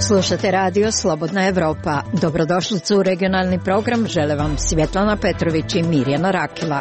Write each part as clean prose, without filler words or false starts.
Slušate radio Slobodna Evropa. Dobrodošlicu u regionalni program. Žele vam Svjetlana Petrović i Mirjana Rakila.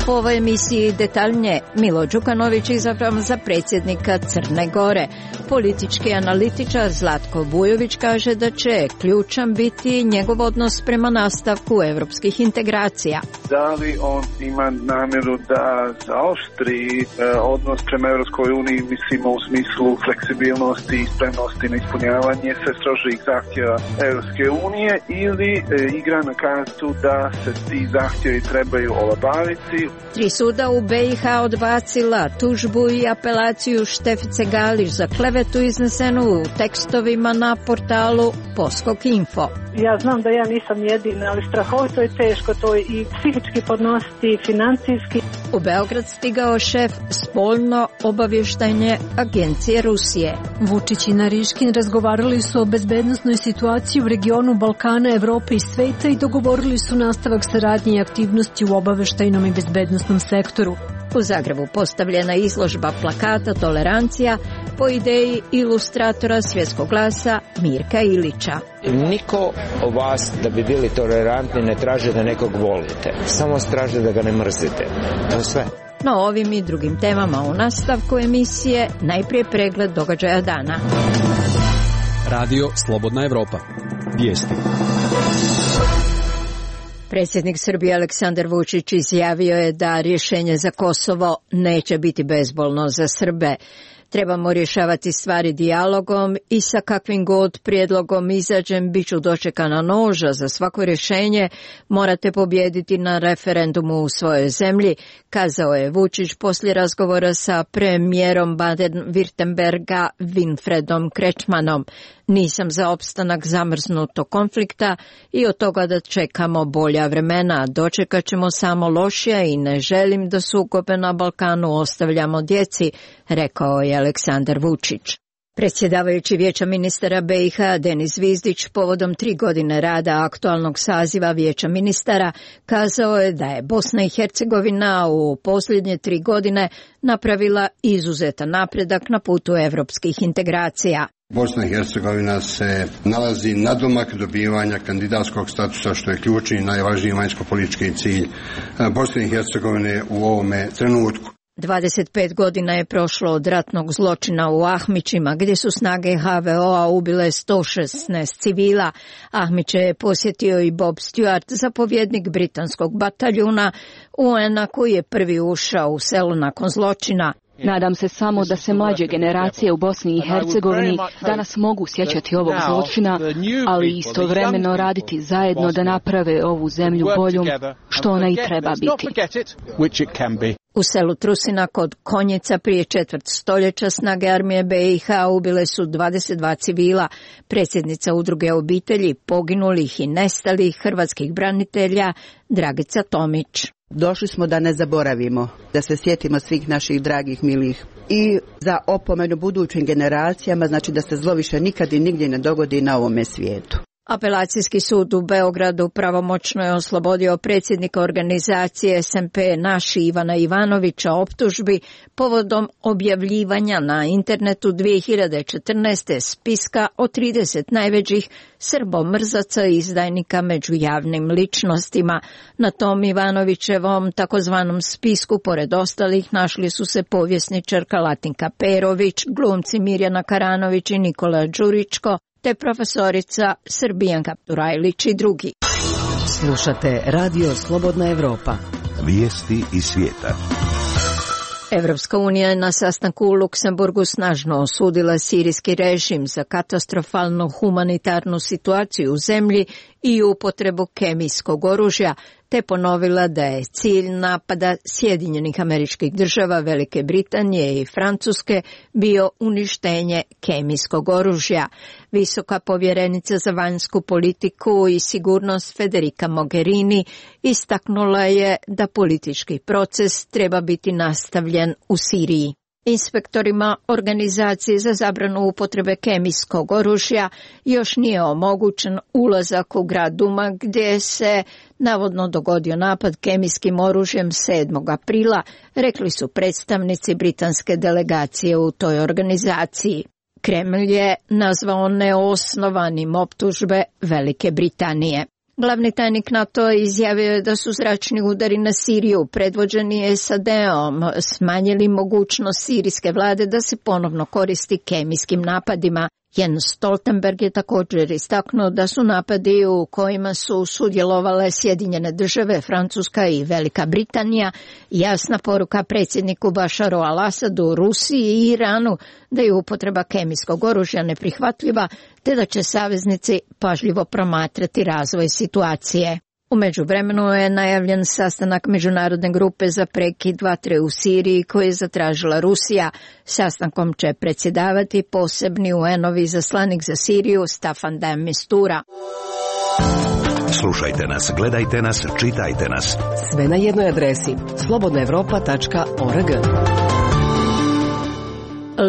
U ovoj emisiji detaljnije Milo Đukanović izabran za predsjednika Crne Gore. Politički analitičar Zlatko Vujović kaže da će ključan biti njegov odnos prema nastavku evropskih integracija. Da li on ima namjeru da zaoštri odnos prema Evropskoj uniji, mislimo u smislu fleksibilnosti i spremnosti na ispunjavanje sve strožih zahtjeva Evropske unije, ili igra na kartu da se ti zahtjevi trebaju olabaviti. 3 suda u BiH odbacila tužbu i apelaciju Štefice Galić za klevetu iznesenu u tekstovima na portalu Poskok Info. Ja znam da ja nisam jedina, ali strahovito je teško to i psihički podnositi i financijski. U Beograd stigao šef spoljno obavještajne agencije Rusije. Vučić i Nariškin razgovarali su o bezbednosnoj situaciji u regionu Balkana, Evrope i sveta i dogovorili su nastavak saradnje i aktivnosti u obavještajnom i bezbednosnom sektoru. U Zagrebu postavljena izložba plakata Tolerancija po ideji ilustratora Svjetskog glasa Mirka Ilića. Niko od vas da bi bili tolerantni ne traži da nekog volite, samo traži da ga ne mrzite. To je sve. No ovim i drugim temama u nastavku emisije najprije pregled događaja dana. Radio Slobodna Evropa. Vijesti. Predsjednik Srbije Aleksandar Vučić izjavio je da rješenje za Kosovo neće biti bezbolno za Srbe. Trebamo rješavati stvari dijalogom i sa kakvim god prijedlogom izađem bit ću dočekana noža. Za svako rješenje morate pobijediti na referendumu u svojoj zemlji, kazao je Vučić poslije razgovora sa premijerom Baden-Württemberga Winfriedom Kretschmannom. Nisam za opstanak zamrznutog konflikta i od toga da čekamo bolja vremena. Dočekat ćemo samo lošija i ne želim da sukobe na Balkanu ostavljamo djeci, rekao je Aleksandar Vučić. Predsjedavajući Vijeća ministara BiH Denis Zvizdić povodom 3 godine rada aktualnog saziva Vijeća ministara kazao je da je Bosna i Hercegovina u posljednje 3 godine napravila izuzetan napredak na putu evropskih integracija. Bosna i Hercegovina se nalazi nadomak dobivanja kandidatskog statusa, što je ključni i najvažniji vanjsko-politički cilj Bosne i Hercegovine u ovome trenutku. 25 godina je prošlo od ratnog zločina u Ahmićima, gdje su snage HVO-a ubile 116 civila. Ahmiće je posjetio i Bob Stewart, zapovjednik britanskog bataljuna UN-a koji je prvi ušao u selo nakon zločina. Nadam se samo da se mlađe generacije u Bosni i Hercegovini danas mogu sjećati ovog zločina, ali istovremeno raditi zajedno da naprave ovu zemlju boljom, što ona i treba biti. U selu Trusina kod Konjica prije 1/4 stoljeća snage armije BiH ubile su 22 civila. Predsjednica udruge obitelji poginulih i nestalih hrvatskih branitelja Dragica Tomić. Došli smo da ne zaboravimo, da se sjetimo svih naših dragih milih i za opomenu budućim generacijama, znači da se zlo više nikad i nigdje ne dogodi na ovome svijetu. Apelacijski sud u Beogradu pravomoćno je oslobodio predsjednika organizacije SMP Naši Ivana Ivanovića optužbi povodom objavljivanja na internetu 2014. spiska o 30 najvećih srbomrzaca i izdajnika među javnim ličnostima. Na tom Ivanovićevom takozvanom spisku pored ostalih našli su se povjesničarka Latinka Perović, glumci Mirjana Karanović i Nikola Đuričko, te profesorica Srbijanka Turajlić i drugi. Slušate Radio Slobodna Evropa. Vijesti iz svijeta. Evropska unija je na sastanku u Luksemburgu snažno osudila sirijski režim za katastrofalnu humanitarnu situaciju u zemlji i upotrebu kemijskog oružja, te ponovila da je cilj napada Sjedinjenih Američkih Država, Velike Britanije i Francuske bio uništenje kemijskog oružja. Visoka povjerenica za vanjsku politiku i sigurnost Federica Mogherini istaknula je da politički proces treba biti nastavljen u Siriji. Inspektorima Organizacije za zabranu upotrebe kemijskog oružja još nije omogućen ulazak u grad Duma gdje se navodno dogodio napad kemijskim oružjem 7. aprila, rekli su predstavnici britanske delegacije u toj organizaciji. Kremlj je nazvao neosnovanim optužbe Velike Britanije. Glavni tajnik NATO izjavio je da su zračni udari na Siriju predvođeni SAD-om smanjili mogućnost sirijske vlade da se ponovno koristi kemijskim napadima. Jens Stoltenberg je također istaknuo da su napadi u kojima su sudjelovale Sjedinjene države, Francuska i Velika Britanija jasna poruka predsjedniku Bašaru al-Asadu, Rusiji i Iranu da je upotreba kemijskog oružja neprihvatljiva te da će saveznici pažljivo promatrati razvoj situacije. U međuvremenu je najavljen sastanak Međunarodne grupe za prekid vatre u Siriji koji je zatražila Rusija. Sastankom će predsjedavati posebni UN-ovi izaslanik za Siriju Staffan de Mistura. Slušajte nas, gledajte nas, čitajte nas. Sve na jednoj adresi slobodnaevropa.org.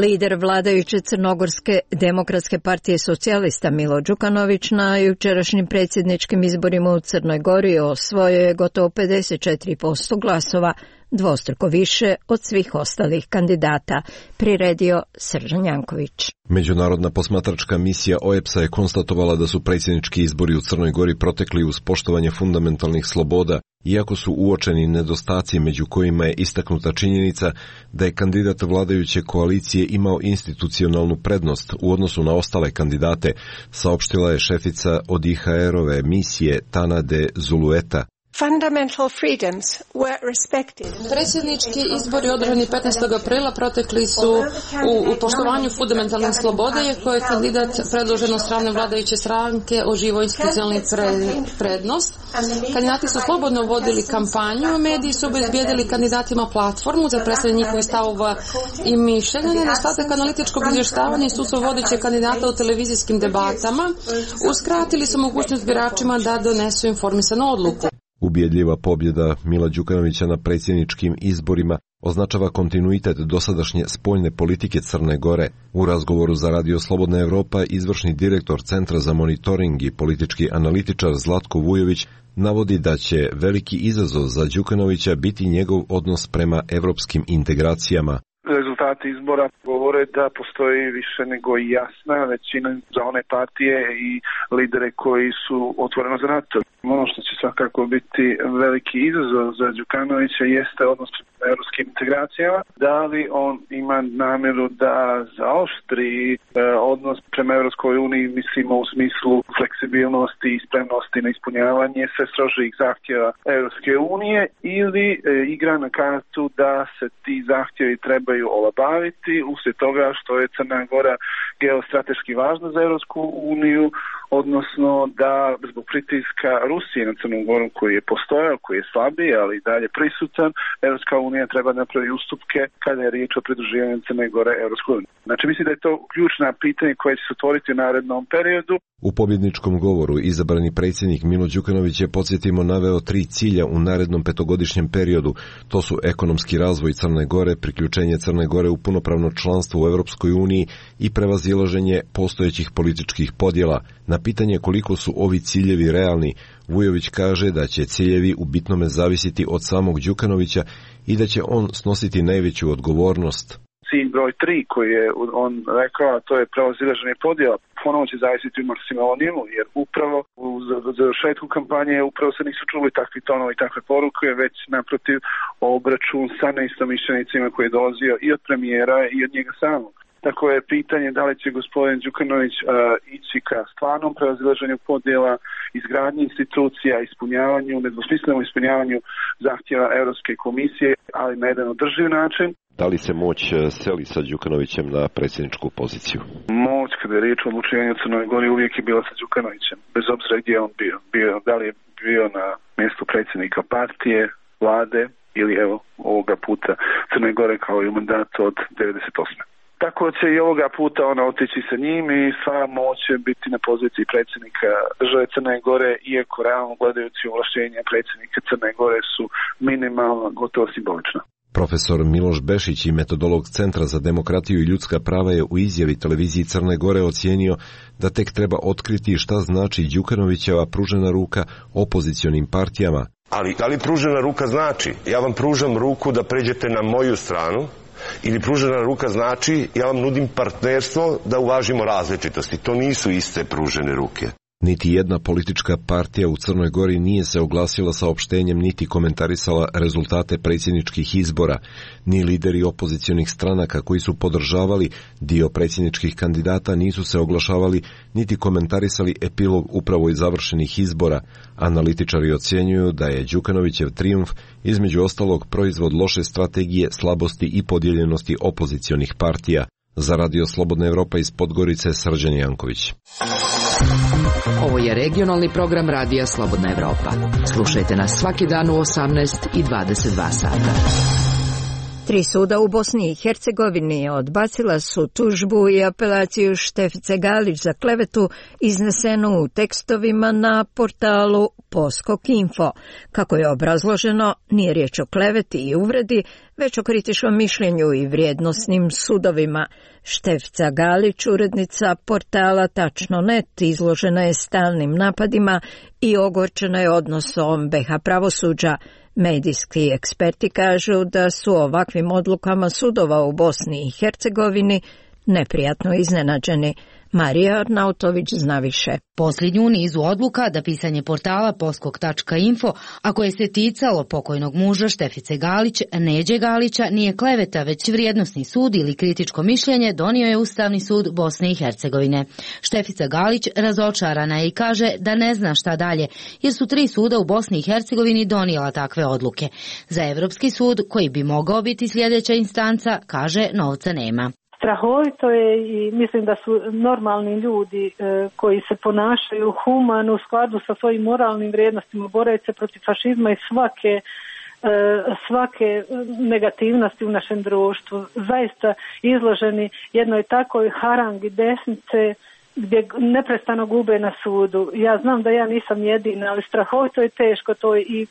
Lider vladajuće Crnogorske demokratske partije socijalista Milo Đukanović na jučerašnjim predsjedničkim izborima u Crnoj Gori osvojio je gotovo 54% glasova, dvostruko više od svih ostalih kandidata, priredio Srđan Janković. Međunarodna posmatračka misija OEBS-a je konstatovala da su predsjednički izbori u Crnoj Gori protekli uz poštovanje fundamentalnih sloboda, iako su uočeni nedostaci među kojima je istaknuta činjenica da je kandidat vladajuće koalicije imao institucionalnu prednost u odnosu na ostale kandidate, saopštila je šefica ODIHR-ove misije Tanade Zulueta. Predsjednički izbori održani 15. aprila protekli su u poštovanju fundamentalnih sloboda, iako je kandidat predložen od strane vladajuće stranke oživio institucionalni prednost. Kandidati su slobodno vodili kampanju, mediji su obezbijedili kandidatima platformu za predstavljanje njihovih stavova i mišljenja. Nedostatak analitičkog izvještavanja i sudstvo vodećeg kandidata u televizijskim debatama uskratili su mogućnost biračima da donesu informisanu odluku. Ubjedljiva pobjeda Mila Đukanovića na predsjedničkim izborima označava kontinuitet dosadašnje spoljne politike Crne Gore. U razgovoru za Radio Slobodna Evropa izvršni direktor Centra za monitoring i politički analitičar Zlatko Vujović navodi da će veliki izazov za Đukanovića biti njegov odnos prema evropskim integracijama. Rezultati izbora govore da postoji više nego jasna većina za one partije i lidere koji su otvoreno za NATO. Ono što će svakako biti veliki izazov za Đukanovića jeste odnos prema evropskim integracijama. Da li on ima namjeru da zaoštri odnos prema Evropskoj uniji, mislimo u smislu fleksibilnosti i spremnosti na ispunjavanje sve strožijih zahtjeva Evropske unije, ili igra na kartu da se ti zahtjevi trebaju olabaviti uslijed toga što je Crna Gora geostrateški važna za Evropsku uniju, odnosno da zbog pritiska Rusije na Crnu Goru koji je postojao, koji je slabiji, ali i dalje prisutan, Evropska unija treba napraviti ustupke kada je riječ o pridruživanju Crne Gore Evropskoj uniji. Znači mislim da je to ključna pitanja koje će se otvoriti u narednom periodu. U pobjedničkom govoru izabrani predsjednik Milo Đukanović je, podsjetimo, naveo 3 cilja u narednom 5-godišnjem periodu. To su ekonomski razvoj Crne Gore, priključenje Crne Gore u punopravno članstvo u Evropskoj uniji i prevazilaženje postojećih političkih podjela. Na pitanje koliko su ovi ciljevi realni, Vujović kaže da će ciljevi u bitnome zavisiti od samog Đukanovića i da će on snositi najveću odgovornost. Cilj broj 3 koji je on rekao, a to je prevazilaženje podjela, ponovo će zavisiti u maksimalimu, jer upravo u završetku kampanje upravo se nisu čuli takvi tonovi i takve poruke, već naprotiv obračun sa neistomišljenicima koji je dolazio i od premijera i od njega samog. Tako je pitanje da li će gospodin Đukanović ići ka stvarnom prevazilaženju podjela, izgradnji institucija, ispunjavanju, nedvosmislenom ispunjavanju zahtjeva Europske komisije, ali na jedan održiv način. Da li se moć seli sa Đukanovićem na predsjedničku poziciju? Moć, kada je riječ o odlučivanju u Crnoj Gori, uvijek je bila sa Đukanovićem, bez obzira gdje je on bio. Da li je bio na mjestu predsjednika partije, vlade ili evo ovoga puta Crne Gore kao i u mandatu od 98. Tako će i ovoga puta ona otići sa njim i sva moć će biti na poziciji predsjednika države Crne Gore, iako realno gledajući ovlaštenja predsjednika Crne Gore su minimalno, gotovo simbolična. Profesor Miloš Bešić i metodolog Centra za demokratiju i ljudska prava je u izjavi televiziji Crne Gore ocijenio da tek treba otkriti šta znači Đukanovićeva pružena ruka opozicionim partijama. Ali da li pružena ruka znači ja vam pružam ruku da pređete na moju stranu ili pružena ruka znači ja vam nudim partnerstvo da uvažimo različitosti. To nisu iste pružene ruke. Niti jedna politička partija u Crnoj Gori nije se oglasila saopštenjem niti komentarisala rezultate predsjedničkih izbora, ni lideri opozicionih stranaka koji su podržavali dio predsjedničkih kandidata nisu se oglašavali niti komentarisali epilog upravo iz završenih izbora. Analitičari ocjenjuju da je Đukanovićev trijumf između ostalog proizvod loše strategije, slabosti i podijeljenosti opozicionih partija. Za Radio Slobodna Evropa iz Podgorice, Srđan Janković. Ovo je regionalni program Radija Slobodna Evropa. Slušajte nas svaki dan u 18 i 22 sata. 3 suda u Bosni i Hercegovini odbacila su tužbu i apelaciju Štefice Galić za klevetu iznesenu u tekstovima na portalu Poskok.info. Kako je obrazloženo, nije riječ o kleveti i uvredi, već o kritičnom mišljenju i vrijednosnim sudovima. Štefica Galić, urednica portala Tačno.net, izložena je stalnim napadima i ogorčena je odnosom BiH pravosuđa. Medijski eksperti kažu da su ovakvim odlukama sudova u Bosni i Hercegovini neprijatno iznenađeni. Marija Arnautović zna više. Posljednju u nizu odluka da pisanje portala Poskok.info, a koje se ticalo pokojnog muža Štefice Galić, Neđe Galića, nije kleveta, već vrijednosni sud ili kritičko mišljenje, donio je Ustavni sud Bosne i Hercegovine. Štefica Galić razočarana je i kaže da ne zna šta dalje, jer su 3 suda u Bosni i Hercegovini donijela takve odluke. Za Evropski sud, koji bi mogao biti sljedeća instanca, kaže novca nema. Strahovito je i mislim da su normalni ljudi koji se ponašaju humano u skladu sa svojim moralnim vrijednostima, bore se protiv fašizma i svake negativnosti u našem društvu. Zaista izloženi jednoj takoj harangi desnice gdje neprestano gube na sudu. Ja znam da ja nisam jedina, ali strahovito je teško to i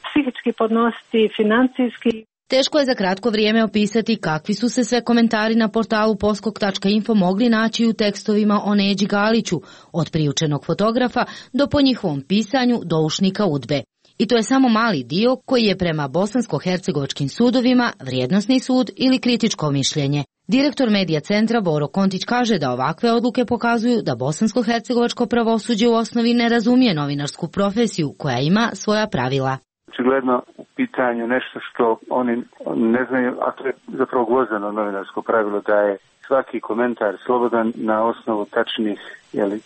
psihički podnositi, financijski. Teško je za kratko vrijeme opisati kakvi su se sve komentari na portalu Poskok.info mogli naći u tekstovima o Neđi Galiću, od priučenog fotografa do po njihovom pisanju doušnika UDBE. I to je samo mali dio koji je prema bosansko-hercegovačkim sudovima vrijednosni sud ili kritičko mišljenje. Direktor Medija centra Boro Kontić kaže da ovakve odluke pokazuju da bosansko-hercegovačko pravosuđe u osnovi ne razumije novinarsku profesiju koja ima svoja pravila. Očigledno u pitanju nešto što oni ne znaju, a to je zapravo gvozdeno novinarsko pravilo da je svaki komentar slobodan na osnovu tačnih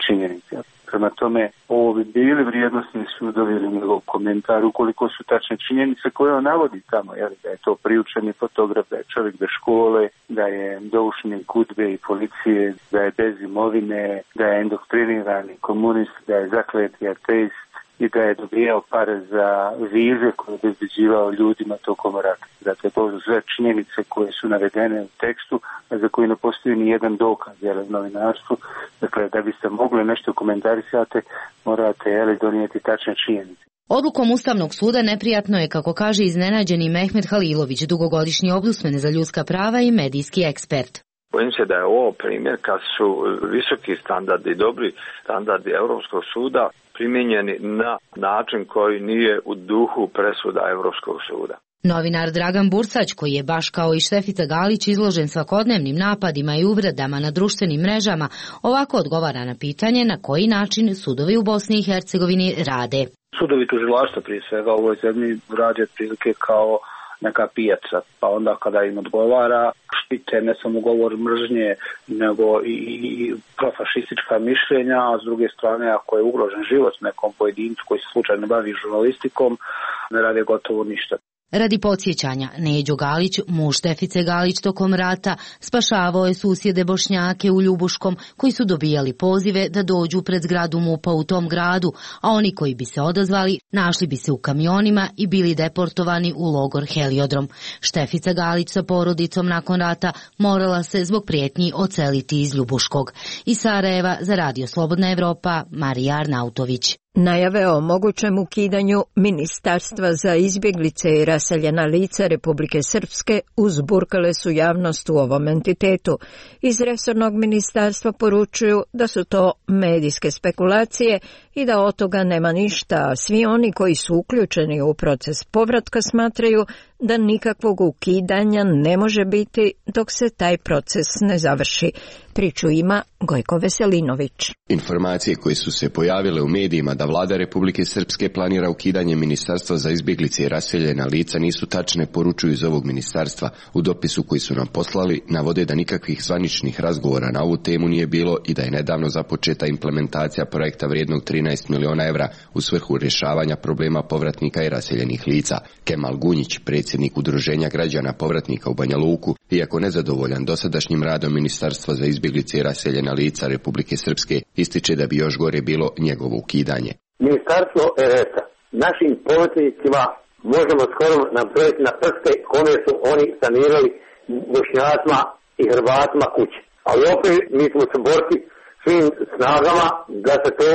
činjenica. Prema tome, ovo bi bili vrijednosni sudovi ili njegov komentar ukoliko su tačne činjenice koje on navodi tamo, da je to priučeni fotograf, da je čovjek bez škole, da je doušnik UDBE i policije, da je bez imovine, da je indoktrinirani komunist, da je zakleti ateist i da je dobijao pare za vize koje je obezbeđivao ljudima tokom rata. Dakle, to su sve činjenice koje su navedene u tekstu, a za koje ne postoji ni jedan dokaz u novinarstvu. Dakle, da biste mogli nešto komentarisati, morate donijeti tačne činjenice. Odlukom Ustavnog suda neprijatno je, kako kaže iznenađeni Mehmet Halilović, dugogodišnji ombudsman za ljudska prava i medijski ekspert. Bojim se da je ovo primjer kad su visoki standardi, dobri standardi Europskog suda primijenjeni na način koji nije u duhu presuda Europskog suda. Novinar Dragan Bursać, koji je baš kao i Štefica Galić izložen svakodnevnim napadima i uvredama na društvenim mrežama, ovako odgovara na pitanje na koji način sudovi u Bosni i Hercegovini rade. Sudovi tužilaštva prije svega u ovoj zemlji rade prilike kao neka pijaca, pa onda kada im odgovara štite ne samo govor mržnje, nego i profašistička mišljenja, a s druge strane ako je ugrožen život nekom pojedincu koji se slučajno bavi žurnalistikom, ne rade gotovo ništa. Radi podsjećanja, Neđo Galić, muž Štefice Galić tokom rata, spašavao je susjede Bošnjake u Ljubuškom koji su dobijali pozive da dođu pred zgradu MUP-a u tom gradu, a oni koji bi se odazvali našli bi se u kamionima i bili deportovani u logor Heliodrom. Štefica Galić sa porodicom nakon rata morala se zbog prijetnji odseliti iz Ljubuškog. Iz Sarajeva za Radio Slobodna Evropa, Marija Arnautović. Najave o mogućem ukidanju Ministarstva za izbjeglice i raseljena lica Republike Srpske uzburkale su javnost u ovom entitetu. Iz resornog ministarstva poručuju da su to medijske spekulacije i da od toga nema ništa, a svi oni koji su uključeni u proces povratka smatraju da nikakvog ukidanja ne može biti dok se taj proces ne završi. Priču ima Gojko Veselinović. Informacije koje su se pojavile u medijima da vlada Republike Srpske planira ukidanje Ministarstva za izbjeglice i raseljena lica nisu tačne, poručuju iz ovog ministarstva. U dopisu koji su nam poslali navode da nikakvih zvaničnih razgovora na ovu temu nije bilo i da je nedavno započeta implementacija projekta vrijednog 13 miliona evra u svrhu rješavanja problema povratnika i raseljenih lica. Kemal Gunjić, predsjednik Udruženja građana povratnika u Banja Luku, iako nezadovoljan dosadašnjim radom Ministarstva za izbjeglice i raseljena lica Republike Srpske, ističe da bi još gore bilo njegovo ukidanje. Ministarstvo RS-a našim povratnicima možemo skoro nabrojiti na prste kome su oni sanirali Bošnjacima i Hrvatima kuće. Ali opet mi smo se boriti svim snagama da se to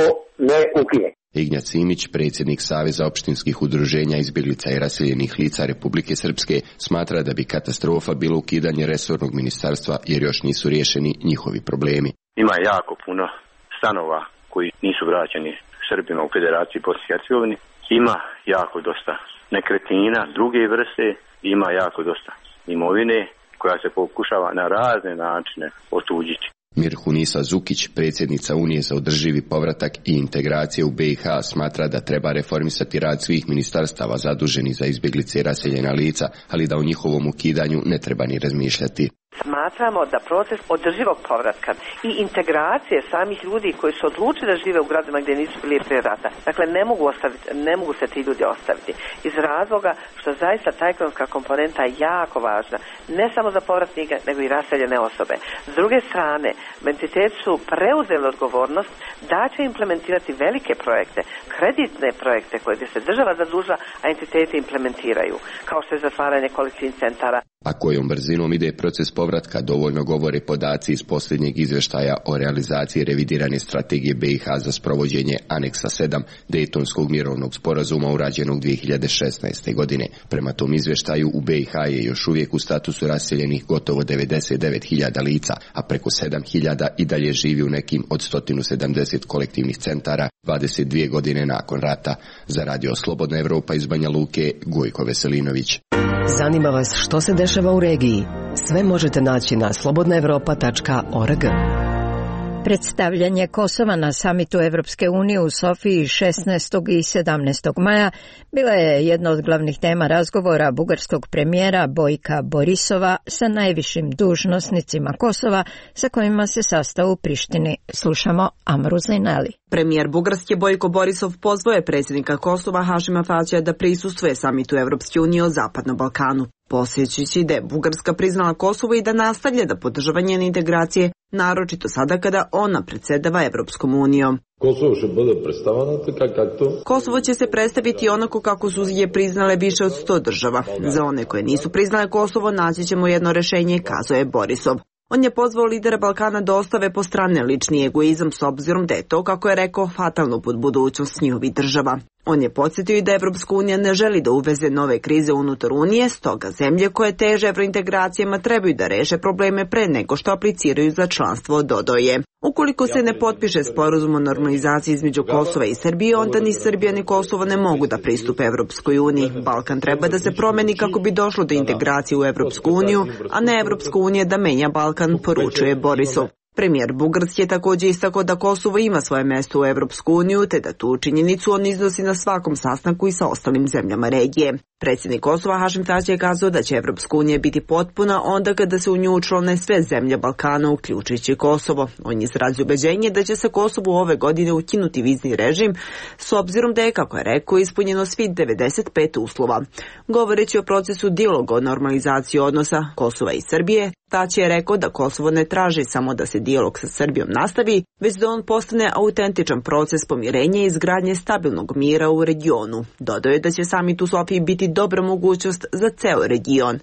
ne ukine. Ignjac Simić, predsjednik Saveza opštinskih udruženja izbjeglica i raseljenih lica Republike Srpske, smatra da bi katastrofa bilo ukidanje resornog ministarstva jer još nisu riješeni njihovi problemi. Ima jako puno stanova koji nisu vraćeni Srbima u Federaciji Bosne i Hercegovine. Ima jako dosta nekretnina druge vrste, ima jako dosta imovine koja se pokušava na razne načine otuđiti. Mirhunisa Zukić, predsjednica Unije za održivi povratak i integracije u BiH, smatra da treba reformisati rad svih ministarstava zaduženih za izbjeglice i raseljena lica, ali da o njihovom ukidanju ne treba ni razmišljati. Smatramo da proces održivog povratka i integracije samih ljudi koji su odlučili da žive u gradovima gdje nisu bili prije rata, dakle ne mogu se ti ljudi ostaviti. Iz razloga što zaista ta ekonomska komponenta je jako važna, ne samo za povratnike, nego i raseljene osobe. S druge strane, entiteti su preuzeli odgovornost da će implementirati velike projekte, kreditne projekte koje se država zadužila, a entiteti implementiraju, kao što je zatvaranje kolektivnih centara. A kojom brzinom ide proces povratka dovoljno govore podaci iz posljednjeg izvještaja o realizaciji revidirane strategije BiH za sprovođenje aneksa 7 Dejtonskog mirovnog sporazuma urađenog 2016. godine. Prema tom izvještaju u BiH je još uvijek u statusu raseljenih gotovo 99.000 lica, a preko 7.000 i dalje živi u nekim od 170 kolektivnih centara 22 godine nakon rata. Za Radio Slobodna Evropa iz Banja Luke, Gojko Veselinović. Zanima vas što se dešava u regiji? Sve možete naći na slobodnaevropa.org. Predstavljanje Kosova na samitu Evropske unije u Sofiji 16. i 17. maja bila je jedna od glavnih tema razgovora bugarskog premijera Bojka Borisova sa najvišim dužnosnicima Kosova sa kojima se sastao u Prištini. Slušamo Amru Zainali. Premijer Bugarske Bojko Borisov pozvao je predsjednika Kosova Hašima Tačija da prisustvuje samitu Evropske unije o Zapadnom Balkanu, podsjećajući da je Bugarska priznala Kosovo i da nastavlja da podržava njene integracije, naročito sada kada ona predsjedava Evropskom unijom. Kosovo će se predstaviti onako kako su je priznale više od 100 država. Za one koje nisu priznale Kosovo naći ćemo jedno rješenje, kazao je Borisov. On je pozvao lidera Balkana da ostave po strane lični egoizam s obzirom da je to, kako je rekao, fatalno pod budućnost njihovih država. On je podsjetio i da Evropska unija ne želi da uveze nove krize unutar Unije, stoga zemlje koje teže evrointegracijama trebaju da reše probleme pre nego što apliciraju za članstvo, dodao je. Ukoliko se ne potpiše sporazum o normalizaciji između Kosova i Srbije, onda ni Srbija ni Kosovo ne mogu da pristupe Evropskoj uniji. Balkan treba da se promeni kako bi došlo do integracije u Evropsku uniju, a ne Evropska unija da menja Balkan, poručuje Borisov. Premijer Bugarske je također istakao da Kosovo ima svoje mjesto u Evropsku uniju, te da tu činjenicu on iznosi na svakom sastanku i sa ostalim zemljama regije. Predsjednik Kosova Hašim Tači je kazao da će Evropska unija biti potpuna onda kada se u nju učlane sve zemlje Balkana, uključujući Kosovo. On je izrazio ubeđenje da će se Kosovu ove godine ukinuti vizni režim, s obzirom da je, kako je rekao, ispunjeno svih 95 uslova. Govoreći o procesu dijaloga o normalizaciji odnosa Kosova i Srbije, Tači je rekao da Kosovo ne traži samo da se dijalog sa Srbijom nastavi, već da on postane autentičan proces pomirenja i izgradnje stabilnog mira u regionu. Dodao je da će samit u Sofiji biti dobra mogućnost za ceo region.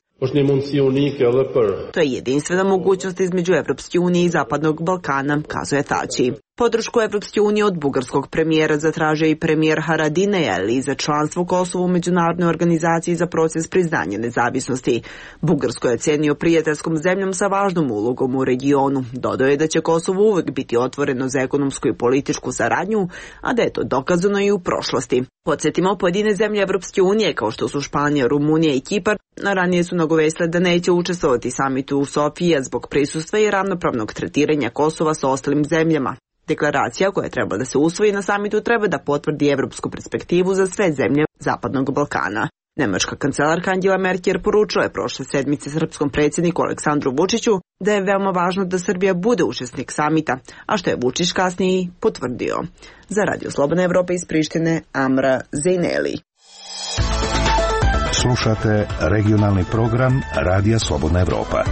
To je jedinstvena mogućnost između Evropske unije i Zapadnog Balkana, kazuje Tači. Podršku Evropske unije od bugarskog premijera zatražio i premijer Haradinaj za članstvo Kosova u Međunarodnoj organizaciji za proces priznanja nezavisnosti. Bugarsko je ocenio prijateljskom zemljom sa važnom ulogom u regionu. Dodao je da će Kosovo uvek biti otvoreno za ekonomsku i političku saradnju, a da je to dokazano i u prošlosti. Podsjetimo, pojedine zemlje Evropske unije, kao što su Španija, Rumunija i Kipar, ranije su nagovestile da neće učestvovati samitu u Sofiji zbog prisustva i ravnopravnog tretiranja Kosova sa ostalim zemljama. Deklaracija koja treba da se usvoji na samitu treba da potvrdi evropsku perspektivu za sve zemlje Zapadnog Balkana. Nemačka kancelarka Angela Merkel poručila je prošle sedmice srpskom predsjedniku Aleksandru Vučiću da je veoma važno da Srbija bude učesnik samita, a što je Vučić kasnije potvrdio. Za Radio Slobodna Evropa iz Prištine, Amra Zejneli. Slušate regionalni program Radija Slobodna Evropa.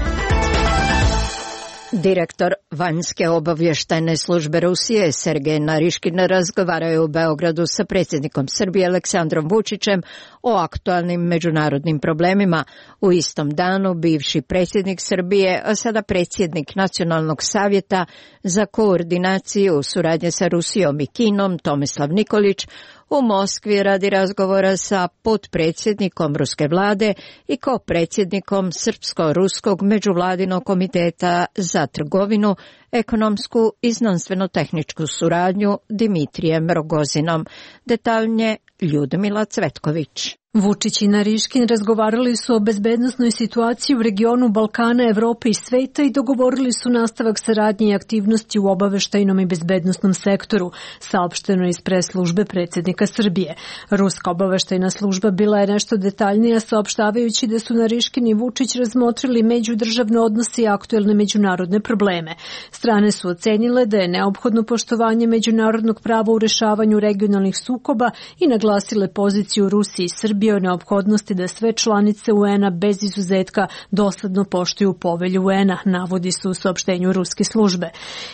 Direktor vanjske obavještajne službe Rusije Sergej Nariškin razgovarao je u Beogradu sa predsjednikom Srbije Aleksandrom Vučićem o aktualnim međunarodnim problemima. U istom danu bivši predsjednik Srbije, a sada predsjednik Nacionalnog savjeta za koordinaciju suradnje sa Rusijom i Kinom Tomislav Nikolić u Moskvi radi razgovora sa potpredsjednikom ruske vlade i kopredsjednikom Srpsko-ruskog međuvladinog komiteta za trgovinu, ekonomsku i znanstveno-tehničku suradnju Dimitrijem Rogozinom. Detaljnije Ljudmila Cvetković. Vučić i Nariškin razgovarali su o bezbednosnoj situaciji u regionu Balkana, Evrope i sveta i dogovorili su nastavak saradnje i aktivnosti u obaveštajnom i bezbednosnom sektoru, saopšteno iz press-službe predsjednika Srbije. Ruska obaveštajna služba bila je nešto detaljnija, saopštavajući da su Nariškin i Vučić razmotrili međudržavne odnose i aktuelne međunarodne probleme. Strane su ocenile da je neophodno poštovanje međunarodnog prava u rešavanju regionalnih sukoba i naglasile poziciju Rusije i Srbije o neophodnosti da sve članice UN-a bez izuzetka dosledno poštuju povelju UN-a, navodi se u saopštenju ruske službe.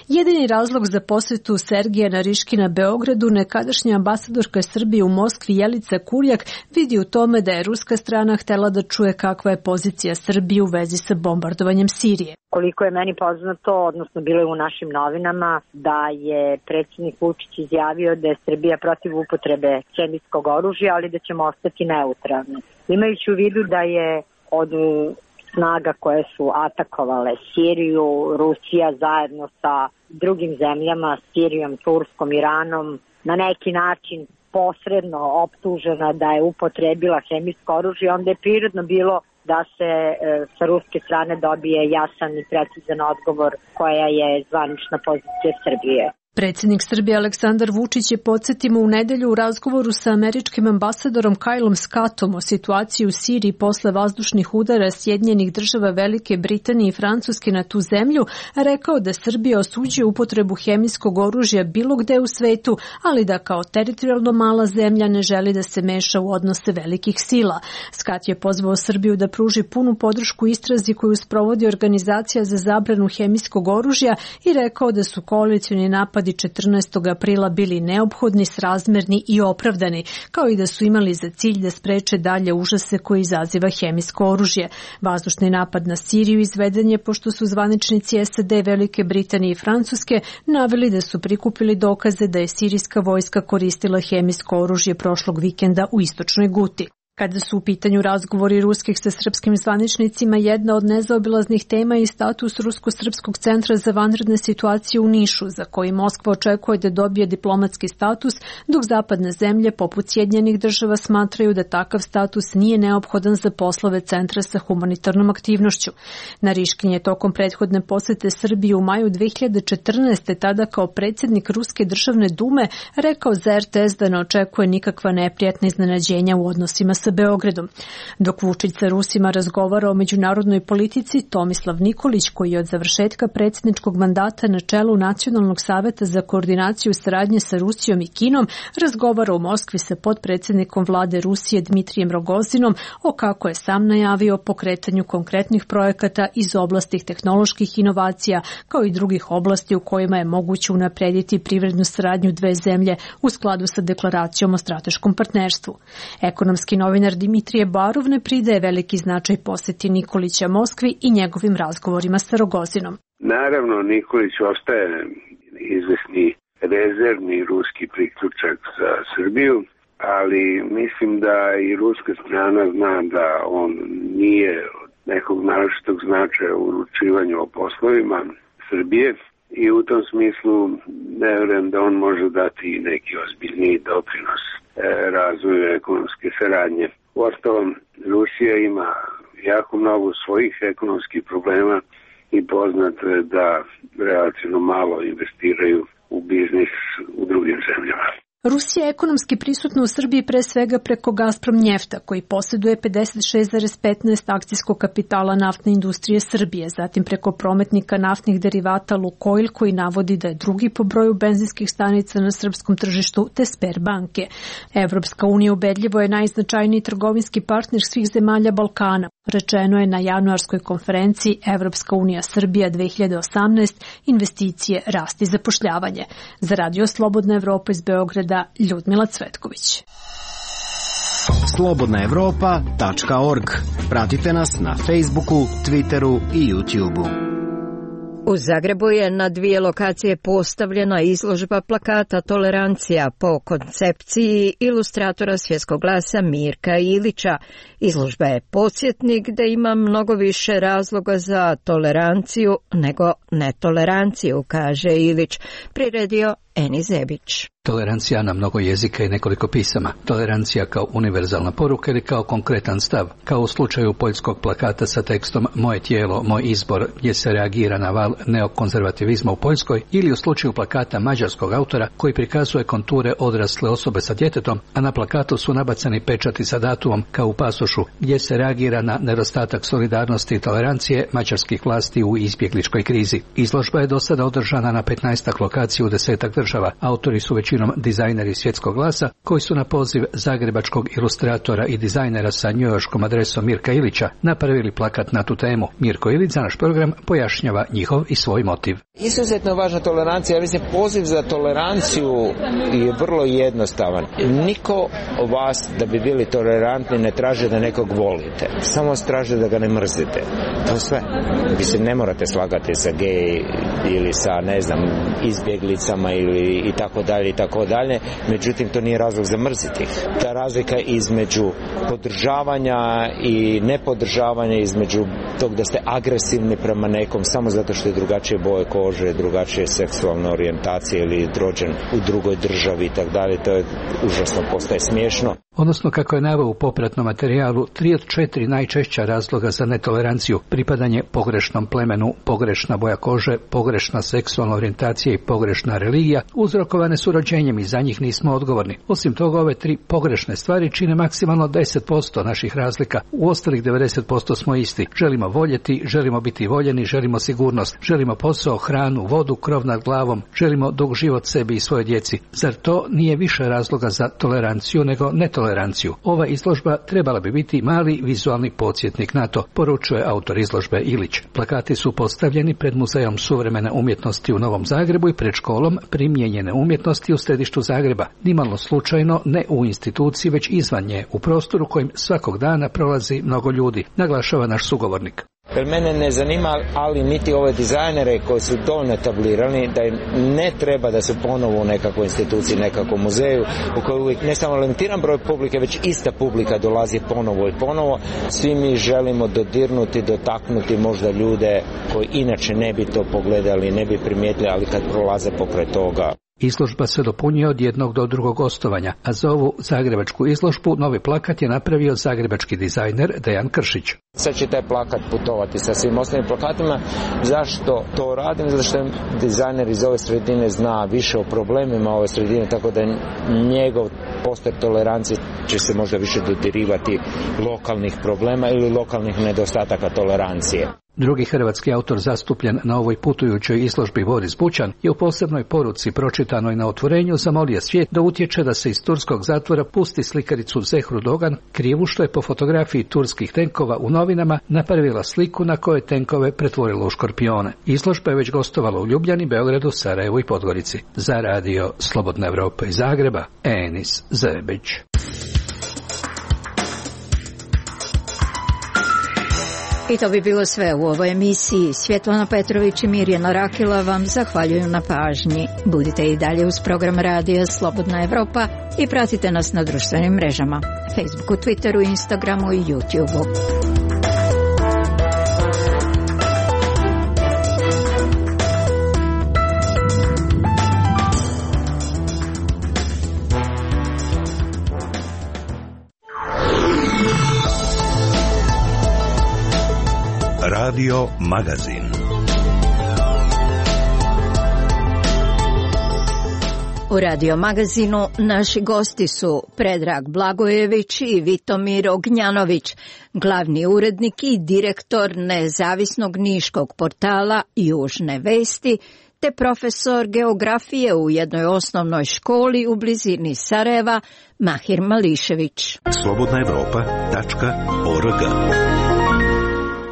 Jedini razlog za posjetu Sergeja Nariškina Beogradu nekadašnja ambasadorka Srbije u Moskvi Jelica Kurjak vidi u tome da je ruska strana htela da čuje kakva je pozicija Srbije u vezi sa bombardovanjem Sirije. Koliko je meni poznato, odnosno bilo je u našim novinama, da je predsjednik Vučić izjavio da je Srbija protiv upotrebe hemijskog oružja, ali da ćemo ostati neutralni. Imajući u vidu da je od snaga koje su atakovale Siriju, Rusija zajedno sa drugim zemljama, Sirijom, Turskom, Iranom, na neki način posredno optužena da je upotrebila hemijsko oružje, onda je prirodno bilo da se sa ruske strane dobije jasan i precizan odgovor koja je zvanična pozicija Srbije. Predsjednik Srbije Aleksandar Vučić je, podsjetimo, u nedelju u razgovoru sa američkim ambasadorom Kylom Scottom o situaciji u Siriji posle vazdušnih udara Sjedinjenih Država, Velike Britanije i Francuske na tu zemlju, rekao da Srbija osuđuje upotrebu hemijskog oružja bilo gde u svetu, ali da kao teritorijalno mala zemlja ne želi da se meša u odnose velikih sila. Scott je pozvao Srbiju da pruži punu podršku istrazi koju sprovodi Organizacija za zabranu hemijskog oružja i rekao da su koalicioni napadi 14. aprila bili neophodni, srazmerni i opravdani, kao i da su imali za cilj da spreče dalje užase koje izaziva hemijsko oružje. Vazdušni napad na Siriju izveden je pošto su zvaničnici SAD, Velike Britanije i Francuske naveli da su prikupili dokaze da je sirijska vojska koristila hemijsko oružje prošlog vikenda u istočnoj Guti. Kada su u pitanju razgovori ruskih sa srpskim zvaničnicima, jedna od nezaobilaznih tema je status Rusko-srpskog centra za vanredne situacije u Nišu, za koji Moskva očekuje da dobije diplomatski status, dok zapadne zemlje poput Sjedinjenih Država smatraju da takav status nije neophodan za poslove centra sa humanitarnom aktivnošću. Nariškin je tokom prethodne posete Srbije u maju 2014. tada kao predsjednik Ruske državne dume rekao za RTS da ne očekuje nikakva neprijatna iznenađenja u odnosima sa Beogradom. Dok Vučić sa Rusima razgovara o međunarodnoj politici, Tomislav Nikolić, koji je od završetka predsjedničkog mandata na čelu Nacionalnog savjeta za koordinaciju saradnje sa Rusijom i Kinom, razgovara u Moskvi sa potpredsjednikom vlade Rusije Dmitrijem Rogozinom o, kako je sam najavio, pokretanju konkretnih projekata iz oblasti tehnoloških inovacija, kao i drugih oblasti u kojima je moguće unaprediti privrednu saradnju dve zemlje u skladu sa deklaracijom o strateškom partnerstvu. Ekonomski novinar Dimitrije Barov ne pridaje veliki značaj posjeti Nikolića Moskvi i njegovim razgovorima sa Rogozinom. Naravno, Nikolić ostaje izvesni rezervni ruski priključak za Srbiju, ali mislim da i ruska strana zna da on nije od nekog naročitog značaja u uručivanju o poslovima Srbije i u tom smislu ne vjerujem da on može dati neki ozbiljniji doprinos razvoju ekonomske saradnje. Uostalom, Rusija ima jako mnogo svojih ekonomskih problema i poznato je da relativno malo investiraju u biznis u drugim zemljama. Rusija je ekonomski prisutna u Srbiji pre svega preko Gazprom Njefta, koji posjeduje 56,15 akcijskog kapitala naftne industrije Srbije, zatim preko prometnika naftnih derivata Lukoil, koji navodi da je drugi po broju benzinskih stanica na srpskom tržištu, te Sberbanke. Evropska unija ubedljivo je najznačajniji trgovinski partner svih zemalja Balkana. Rečeno je na januarskoj konferenciji Evropska unija Srbija 2018, investicije, rast i zapošljavanje. Za Radio Slobodna Evropa iz Beograda, Ljudmila Cvetković. slobodnaevropa.org. Pratite nas na Facebooku, Twitteru i YouTubeu. U Zagrebu je na 2 lokacije postavljena izložba plakata Tolerancija po koncepciji ilustratora Svjetskog glasa Mirka Ilića. Izložba je podsjetnik da ima mnogo više razloga za toleranciju nego netoleranciju, kaže Ilić, priredio Eni Zebić. Tolerancija na mnogo jezika i nekoliko pisama. Tolerancija kao univerzalna poruka ili kao konkretan stav, kao u slučaju poljskog plakata sa tekstom Moje tijelo, moj izbor, gdje se reagira na val neokonzervativizma u Poljskoj, ili u slučaju plakata mađarskog autora koji prikazuje konture odrasle osobe sa djetetom, a na plakatu su nabacani pečati sa datumom kao u pasošu, gdje se reagira na nedostatak solidarnosti i tolerancije mađarskih vlasti u izbjegličkoj krizi. Izložba je do sada održana na 15 lokacija u 10 država. Autori su većinom dizajneri Svjetskog glasa, koji su na poziv zagrebačkog ilustratora i dizajnera sa njujorškom adresom Mirka Ilića napravili plakat na tu temu. Mirko Ilić za naš program pojašnjava njihov i svoj motiv. Izuzetno važna tolerancija, ja mislim poziv za toleranciju je vrlo jednostavan. Niko od vas da bi bili tolerantni ne traži da nekog volite, samo traži da ga ne mrzite. To je sve. Vi se ne morate slagati sa gej ili sa, ne znam, izbjeglicama ili i tako dalje, međutim to nije razlog za mrziti. Ta razlika između podržavanja i nepodržavanja, između tog da ste agresivni prema nekom samo zato što je drugačije boje kože, drugačije seksualne orijentacije ili rođen u drugoj državi i tako dalje, to je užasno, postaje smiješno. Odnosno, kako je naveo u popratnom materijalu, 3 od 4 najčešća razloga za netoleranciju: pripadanje pogrešnom plemenu, pogrešna boja kože, pogrešna seksualna orijentacija i pogrešna religija uzrokovane su rođenjem i za njih nismo odgovorni. Osim toga, ove 3 pogrešne stvari čine maksimalno 10% naših razlika. U ostalih 90% smo isti. Želimo voljeti, želimo biti voljeni, želimo sigurnost, želimo posao, hranu, vodu, krov nad glavom, želimo dug život sebi i svoje djeci. Zar to nije više razloga za toleranciju nego netoleranciju? Ova izložba trebala bi biti mali vizualni podsjetnik na to, poručuje autor izložbe Ilić. Plakati su postavljeni pred Muzejom suvremene umjetnosti u Novom Zagrebu i pred školom primijenjene umjetnosti u središtu Zagreba. Nimalo slučajno, ne u instituciji, već izvan nje, u prostoru kojim svakog dana prolazi mnogo ljudi, naglašava naš sugovornik. Jer mene ne zanima, ali niti ove dizajnere koji su dovoljno etablirani, da im ne treba da su ponovo u nekakvoj instituciji, nekakvom muzeju, u kojoj uvijek ne samo limitiran broj publike, već ista publika dolazi ponovo i ponovo. Svi mi želimo dodirnuti, dotaknuti možda ljude koji inače ne bi to pogledali, ne bi primijetili, ali kad prolaze pokraj toga. Izložba se dopunjuje od jednog do drugog gostovanja, a za ovu zagrebačku izložbu novi plakat je napravio zagrebački dizajner Dejan Kršić. Sad će taj plakat putovati sa svim ostalim plakatima. Zašto to radim? Zato što dizajner iz ove sredine zna više o problemima ove sredine, tako da njegov poster tolerancije će se možda više dodirivati lokalnih problema ili lokalnih nedostataka tolerancije. Drugi hrvatski autor zastupljen na ovoj putujućoj izložbi, Boris Bućan, je u posebnoj poruci pročitanoj na otvorenju zamolio svijet da utječe da se iz turskog zatvora pusti slikaricu Zehru Dogan, krivu što je po fotografiji turskih tenkova u novinama napravila sliku na kojoj tenkove pretvorila u škorpione. Izložba je već gostovala u Ljubljani, Beogradu, Sarajevu i Podgorici. Za Radio Slobodna Evropa iz Zagreba, Enis Zebić. I to bi bilo sve u ovoj emisiji. Svjetlana Petrović i Mirjana Rakila vam zahvaljuju na pažnji. Budite i dalje uz program Radija Slobodna Evropa i pratite nas na društvenim mrežama, Facebooku, Twitteru, Instagramu i YouTubeu. Radio Magazin. U Radio Magazinu naši gosti su Predrag Blagojević i Vitomir Ognjanović, glavni urednik i direktor nezavisnog niškog portala Južne vesti, te profesor geografije u jednoj osnovnoj školi u blizini Sarajeva, Mahir Mališević. slobodnaevropa.org.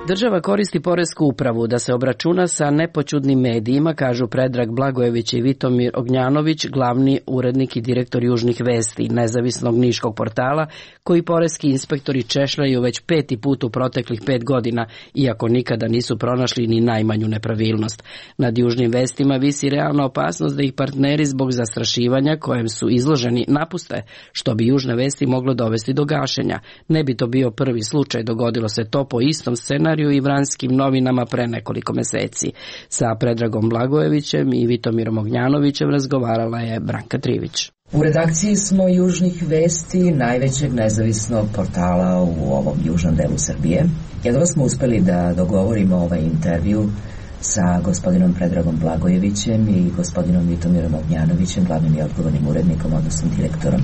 Država koristi poresku upravu da se obračuna sa nepoćudnim medijima, kažu Predrag Blagojević i Vitomir Ognjanović, glavni urednik i direktor Južnih vesti, nezavisnog niškog portala, koji poreski inspektori češljaju već 5. put u proteklih 5 godina, iako nikada nisu pronašli ni najmanju nepravilnost. Nad Južnim vestima visi realna opasnost da ih partneri zbog zastrašivanja kojem su izloženi napuste, što bi Južne vesti moglo dovesti do gašenja. Ne bi to bio prvi slučaj, dogodilo se to po istom scenariju i Vranskim novinama pre nekoliko meseci. Sa Predragom Blagojevićem i Vitomirom Ognjanovićem razgovarala je Branka Trivić. U redakciji smo Južnih vesti, najvećeg nezavisnog portala u ovom južnom delu Srbije. Jedva smo uspeli da dogovorimo ovaj intervju sa gospodinom Predragom Blagojevićem i gospodinom Vitomirom Ognjanovićem, glavnim i odgovornim urednikom, odnosno direktorom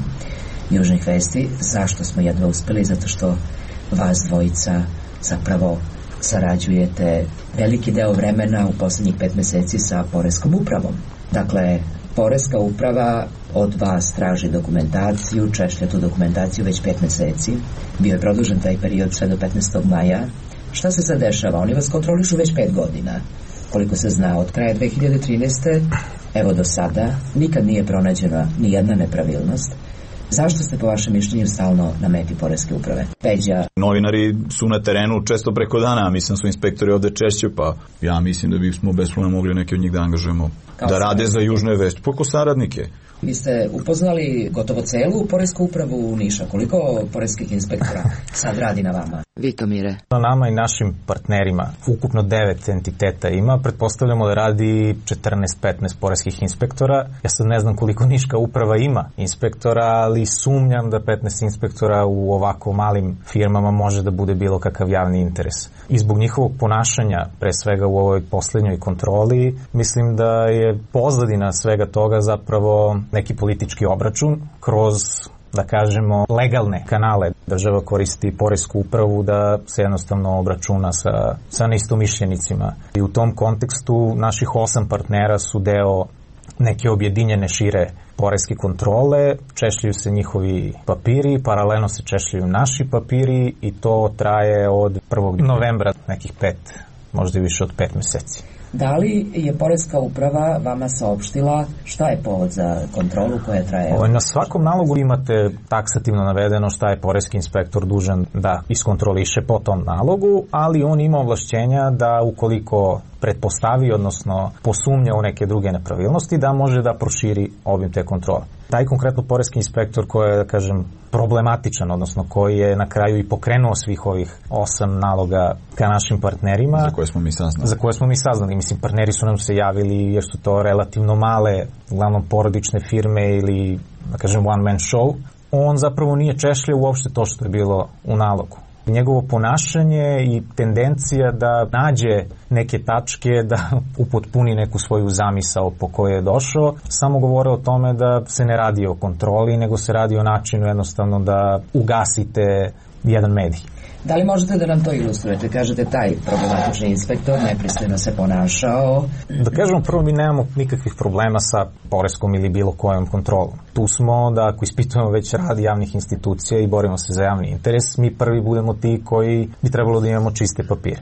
Južnih vesti. Zašto smo jedva uspeli? Zato što vas dvojica zapravo sarađujete veliki deo vremena u poslednjih 5 meseci sa Poreskom upravom. Dakle, Poreska uprava od vas traži dokumentaciju, češlja tu dokumentaciju već 5 meseci. Bio je produžen taj period sve do 15. maja. Šta se sad dešava? Oni vas kontrolišu već 5 godina. Koliko se zna, od kraja 2013. evo do sada, nikad nije pronađena ni jedna nepravilnost. Zašto ste po vašem mišljenju stalno na meti Poreske uprave? Peđa. Novinari su na terenu često preko dana, mislim su inspektori ovde češće, pa ja mislim da bismo bez problema mogli neke od njih da angažujemo da rade za Južne vesti, poko saradnike. Vi ste upoznali gotovo celu Poresku upravu u Niša. Koliko poreskih inspektora sad radi na vama? Vitomire. Na nama i našim partnerima ukupno 9 entiteta ima. Pretpostavljamo da radi 14-15 poreskih inspektora. Ja sad ne znam koliko Niška uprava ima inspektora, ali sumnjam da 15 inspektora u ovako malim firmama može da bude bilo kakav javni interes. I zbog njihovog ponašanja, pre svega u ovoj poslednjoj kontroli, mislim da je pozadina svega toga zapravo neki politički obračun kroz, da kažemo, legalne kanale. Država koristi Poresku upravu da se jednostavno obračuna sa neistomišljenicima. I u tom kontekstu naših 8 partnera su deo neke objedinjene šire poreske kontrole, češljaju se njihovi papiri, paralelno se češljaju naši papiri i to traje od 1. novembra, nekih 5, možda i više od 5 meseci. Da li je Poreska uprava vama saopštila šta je povod za kontrolu koja traje? Na svakom nalogu imate taksativno navedeno šta je poreski inspektor dužan da iskontroliše po tom nalogu, ali on ima ovlašćenja da ukoliko pretpostavi, odnosno posumnja u neke druge nepravilnosti, da može da proširi obim te kontrole. Taj konkretno poreski inspektor koji je, da kažem, problematičan, odnosno koji je na kraju i pokrenuo svih ovih 8 naloga ka našim partnerima. Za koje smo mi saznali. Mislim, partneri su nam se javili jer su to relativno male, uglavnom porodične firme ili, da kažem, one man show. On zapravo nije češljao uopšte to što je bilo u nalogu. Njegovo ponašanje i tendencija da nađe neke tačke, da upotpuni neku svoju zamisao po kojoj je došao, samo govore o tome da se ne radi o kontroli, nego se radi o načinu jednostavno da ugasite jedan medij. Da li možete da nam to ilustrujete? Kažete, taj problematični inspektor nepristojno se ponašao. Da kažemo, prvo, mi nemamo nikakvih problema sa poreskom ili bilo kojom kontrolom. Tu smo da ako ispitujemo već rad javnih institucija i borimo se za javni interes, mi prvi budemo ti koji bi trebalo da imamo čiste papire.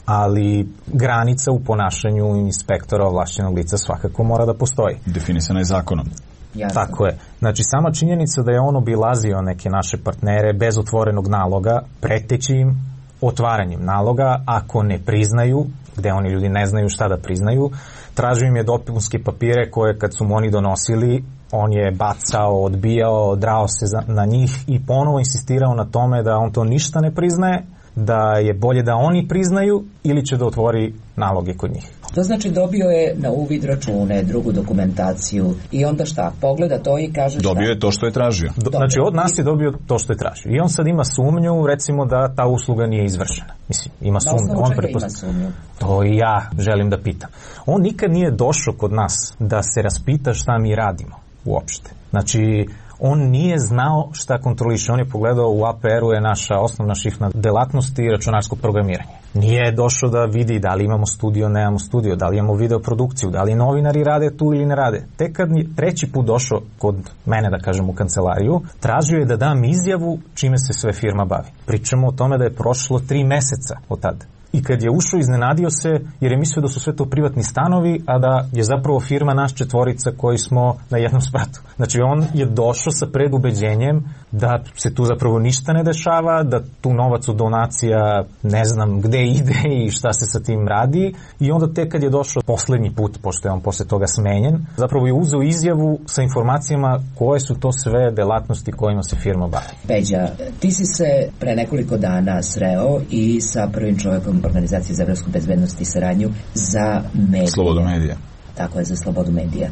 Ali granica u ponašanju inspektora ovlašćenog lica svakako mora da postoji. Definisana je zakonom. Jasno. Tako je. Znači, sama činjenica da je on obilazio neke naše partnere bez otvorenog naloga, preteći im otvaranjem naloga, ako ne priznaju, gde oni ljudi ne znaju šta da priznaju, tražio im je dopunske papire koje kad su mu oni donosili, on je bacao, odbijao, drao se na njih i ponovo insistirao na tome da on to ništa ne priznaje, da je bolje da oni priznaju ili će da otvori naloge kod njih. To znači dobio je na uvid račune, drugu dokumentaciju i onda šta? Pogleda to i kaže šta? Dobio je to što je tražio. Znači od nas je dobio to što je tražio. I on sad ima sumnju, recimo da ta usluga nije izvršena. Mislim, ima sumnju. On ima sumnju? To i ja želim da pitam. On nikad nije došao kod nas da se raspita šta mi radimo uopšte. Znači, on nije znao šta kontroliše. On je pogledao u APR-u je naša osnovna šifna delatnost i računarsko programiranje. Nije došao da vidi da li imamo studio, nemamo studio, da li imamo videoprodukciju, da li novinari rade tu ili ne rade. Tek kad je treći put došao kod mene, da kažem, u kancelariju, tražio je da dam izjavu čime se sve firma bavi. Pričamo o tome da je prošlo 3 meseca od tada. I kad je ušao, iznenadio se jer je mislio da su sve to privatni stanovi, a da je zapravo firma naš 4 koji smo na jednom spratu. Znači on je došao sa predubeđenjem da se tu zapravo ništa ne dešava, da tu novac od donacija ne znam gde ide i šta se sa tim radi. I onda tek kad je došao poslednji put, pošto je on posle toga smenjen, zapravo je uzeo izjavu sa informacijama koje su to sve delatnosti kojima se firma bavi. Peđa, ti si se pre nekoliko dana sreo i sa prvim čovjekom Organizacije za evropsku bezbednost i saradnju za medije. Slobodu medija. Tako je, za slobodu medija.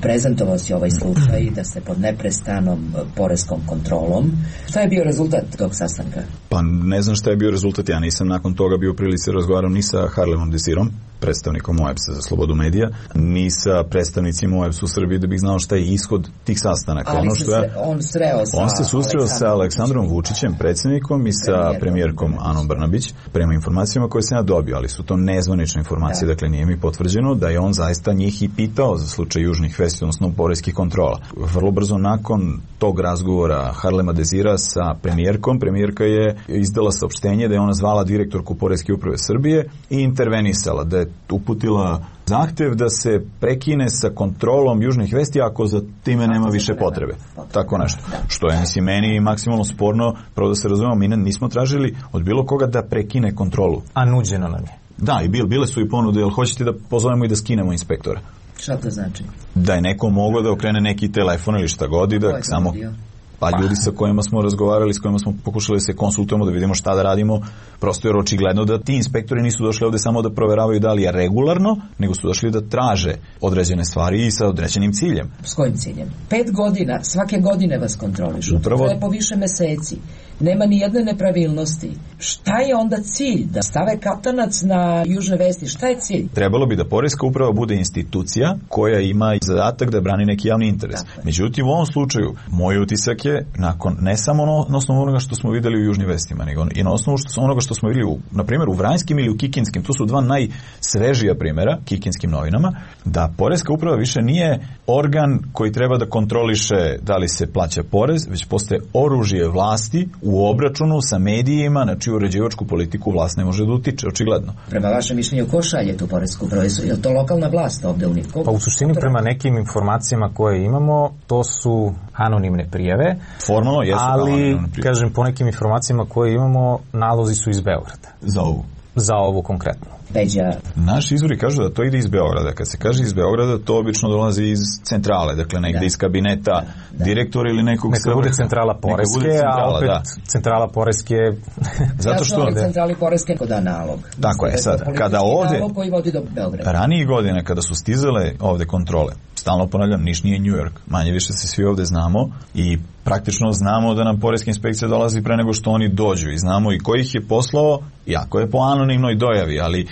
Prezentovao si ovaj slučaj da ste pod neprestanom poreskom kontrolom. Šta je bio rezultat tog sastanka? Pa ne znam šta je bio rezultat. Ja nisam nakon toga bio u prilici razgovaram ni sa Harlemom Desirom, predstavnikom OEBS-a za slobodu medija, ni sa predstavnicima OEBS-a u Srbiji da bih znao šta je ishod tih sastanaka. Ali on se susreo sa Aleksandrom Vučićem, predsjednikom, i sa premijerkom Anom Brnabić, prema informacijama koje sam ja dobio, ali su to nezvanične informacije, dakle nije mi potvrđeno da je on zaista njih i pitao za slučaj južnih vesti, odnosno poreskih kontrola. Vrlo brzo nakon tog razgovora Harlema Desira sa premijerkom, premijerka je izdala saopštenje da je ona zvala direktorku Poreske uprave Srbije i intervenisala, da je uputila zahtev da se prekine sa kontrolom južnih vesti ako za time nema više potrebe. Tako nešto. Što je, mislim, meni maksimalno sporno, pravo da se razumemo, mi nismo tražili od bilo koga da prekine kontrolu. A nuđeno nam je. Da, i bile su i ponude, jel hoćete da pozovemo i da skinemo inspektora? Šta to znači? Da je neko moglo da okrene neki telefon ili šta god i da samo... Pa ljudi sa kojima smo razgovarali, s kojima smo pokušali da se konsultujemo, da vidimo šta da radimo, prosto je očigledno da ti inspektori nisu došli ovde samo da proveravaju da li je regularno, nego su došli da traže određene stvari i sa određenim ciljem. S kojim ciljem? 5 godina, svake godine vas kontrolišu. Upravo... To je po više meseci. Nema ni jedne nepravilnosti. Šta je onda cilj? Da stave katanac na južne vesti? Šta je cilj? Trebalo bi da Poreska uprava bude institucija koja ima zadatak da brani neki javni interes. Međutim, u ovom slučaju, moj utisak je, nakon ne samo na osnovu onoga što smo videli u južnim vestima, nego i na osnovu onoga što smo videli, na primjer, u Vranjskim ili u Kikinskim, to su 2 najsvežija primjera, Kikinskim novinama, da Poreska uprava više nije organ koji treba da kontroliše da li se plaća porez, već postaje oružje vlasti u obračunu sa medijima na čiju uređivačku politiku vlast ne može da utiče, očigledno. Prema vašem mišljenju, ko šalje tu poresku upravu? Je li to lokalna vlast ovde u Nivku? Pa u suštini prema nekim informacijama koje imamo, to su anonimne prijave. Formalno jesu ali, kažem, po nekim informacijama koje imamo, nalozi su iz Beograda. Za ovu? Za ovu konkretno. Peđa. Naši izvori kažu da to ide iz Beograda. Kad se kaže iz Beograda, to obično dolazi iz centrale, dakle negde iz kabineta direktora ili nekog... Neka bude centrala Poreske, a opet centrala Poreske... Zato što... centrali Poreske ko da nalog. Tako je, sad, kada ovde... Nalog koji vodi do Beograda. Ranije godine, kada su stizale ovde kontrole, stalno ponavljam, Niš nije New York, manje više se svi ovde znamo i praktično znamo da nam Poreska inspekcija dolazi pre nego što oni dođu i znamo i ko ih je poslao, iako je po anonimnoj dojavi, ali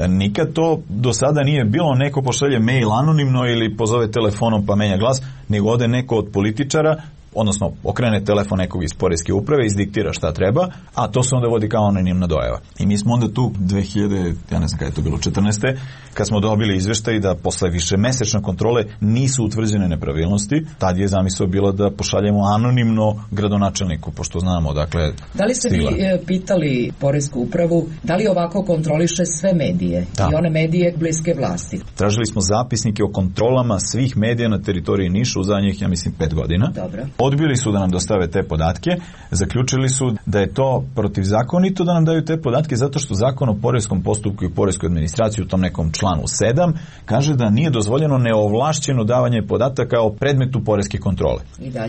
nikad to do sada nije bilo neko pošalje mail anonimno ili pozove telefonom pa menja glas, nego ode neko od političara, odnosno okrene telefon nekog iz Poreske uprave, izdiktira šta treba, a to se onda vodi kao anonimna dojava. I mi smo onda tu 2000, ja ne znam kada je to bilo, 14. kad smo dobili izveštaj da posle više mesečne kontrole nisu utvrđene nepravilnosti, tad je zamisao bila da pošaljemo anonimno gradonačelniku, pošto znamo, dakle... Da li ste vi pitali Poresku upravu, da li ovako kontroliše sve medije i one medije bliske vlasti? Tražili smo zapisnike o kontrolama svih medija na teritoriji Niša u zadnjih, ja mislim, 5 godina. Dobro. Odbili su da nam dostave te podatke, zaključili su da je to protivzakonito da nam daju te podatke zato što Zakon o poreskom postupku i poreskoj administraciji u tom nekom članu 7 kaže da nije dozvoljeno neovlašćeno davanje podataka o predmetu poreske kontrole.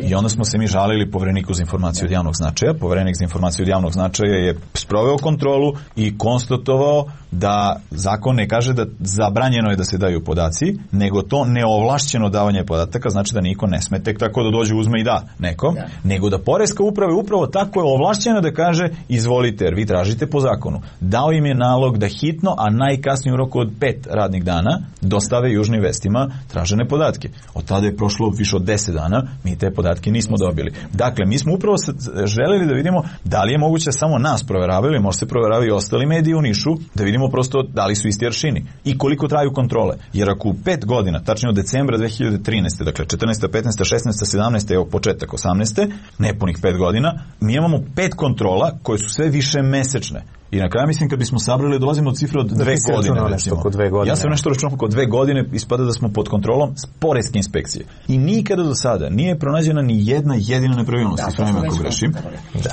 I onda smo se mi žalili Povereniku za informaciju od javnog značaja. Poverenik za informaciju od javnog značaja je sproveo kontrolu i konstatovao da zakon ne kaže da zabranjeno je da se daju podaci, nego to neovlašćeno davanje podataka, znači da niko ne sme tek tako da dođe, uzme i da nekom, nego da poreska uprava je upravo tako je ovlašćena da kaže izvolite, jer vi tražite po zakonu. Dao im je nalog da hitno, a najkasnije u roku od 5 radnih dana dostave Južnim vestima tražene podatke. Od tada je prošlo više od 10 dana, mi te podatke nismo dobili. Dakle, mi smo upravo želeli da vidimo da li je moguće samo nas proveravaju, možda se proveravaju i ostali mediji u Nišu, da vidimo prosto da li su isti aršini i koliko traju kontrole. Jer ako u 5 godina, tačnije od decembra 2013. dakle 14. 15. 16. 17. evo početak 18. nepunih 5 godina, mi imamo 5 kontrola koje su sve više mesečne. I na kraju mislim kad bismo sabrali dolazimo od cifre od 2 godine. Recimo. Ja sam nešto računao oko 2 godine, ispada da smo pod kontrolom poreske inspekcije. I nikada do sada nije pronađena ni jedna jedina nepravilnost, ispravim ako grešim.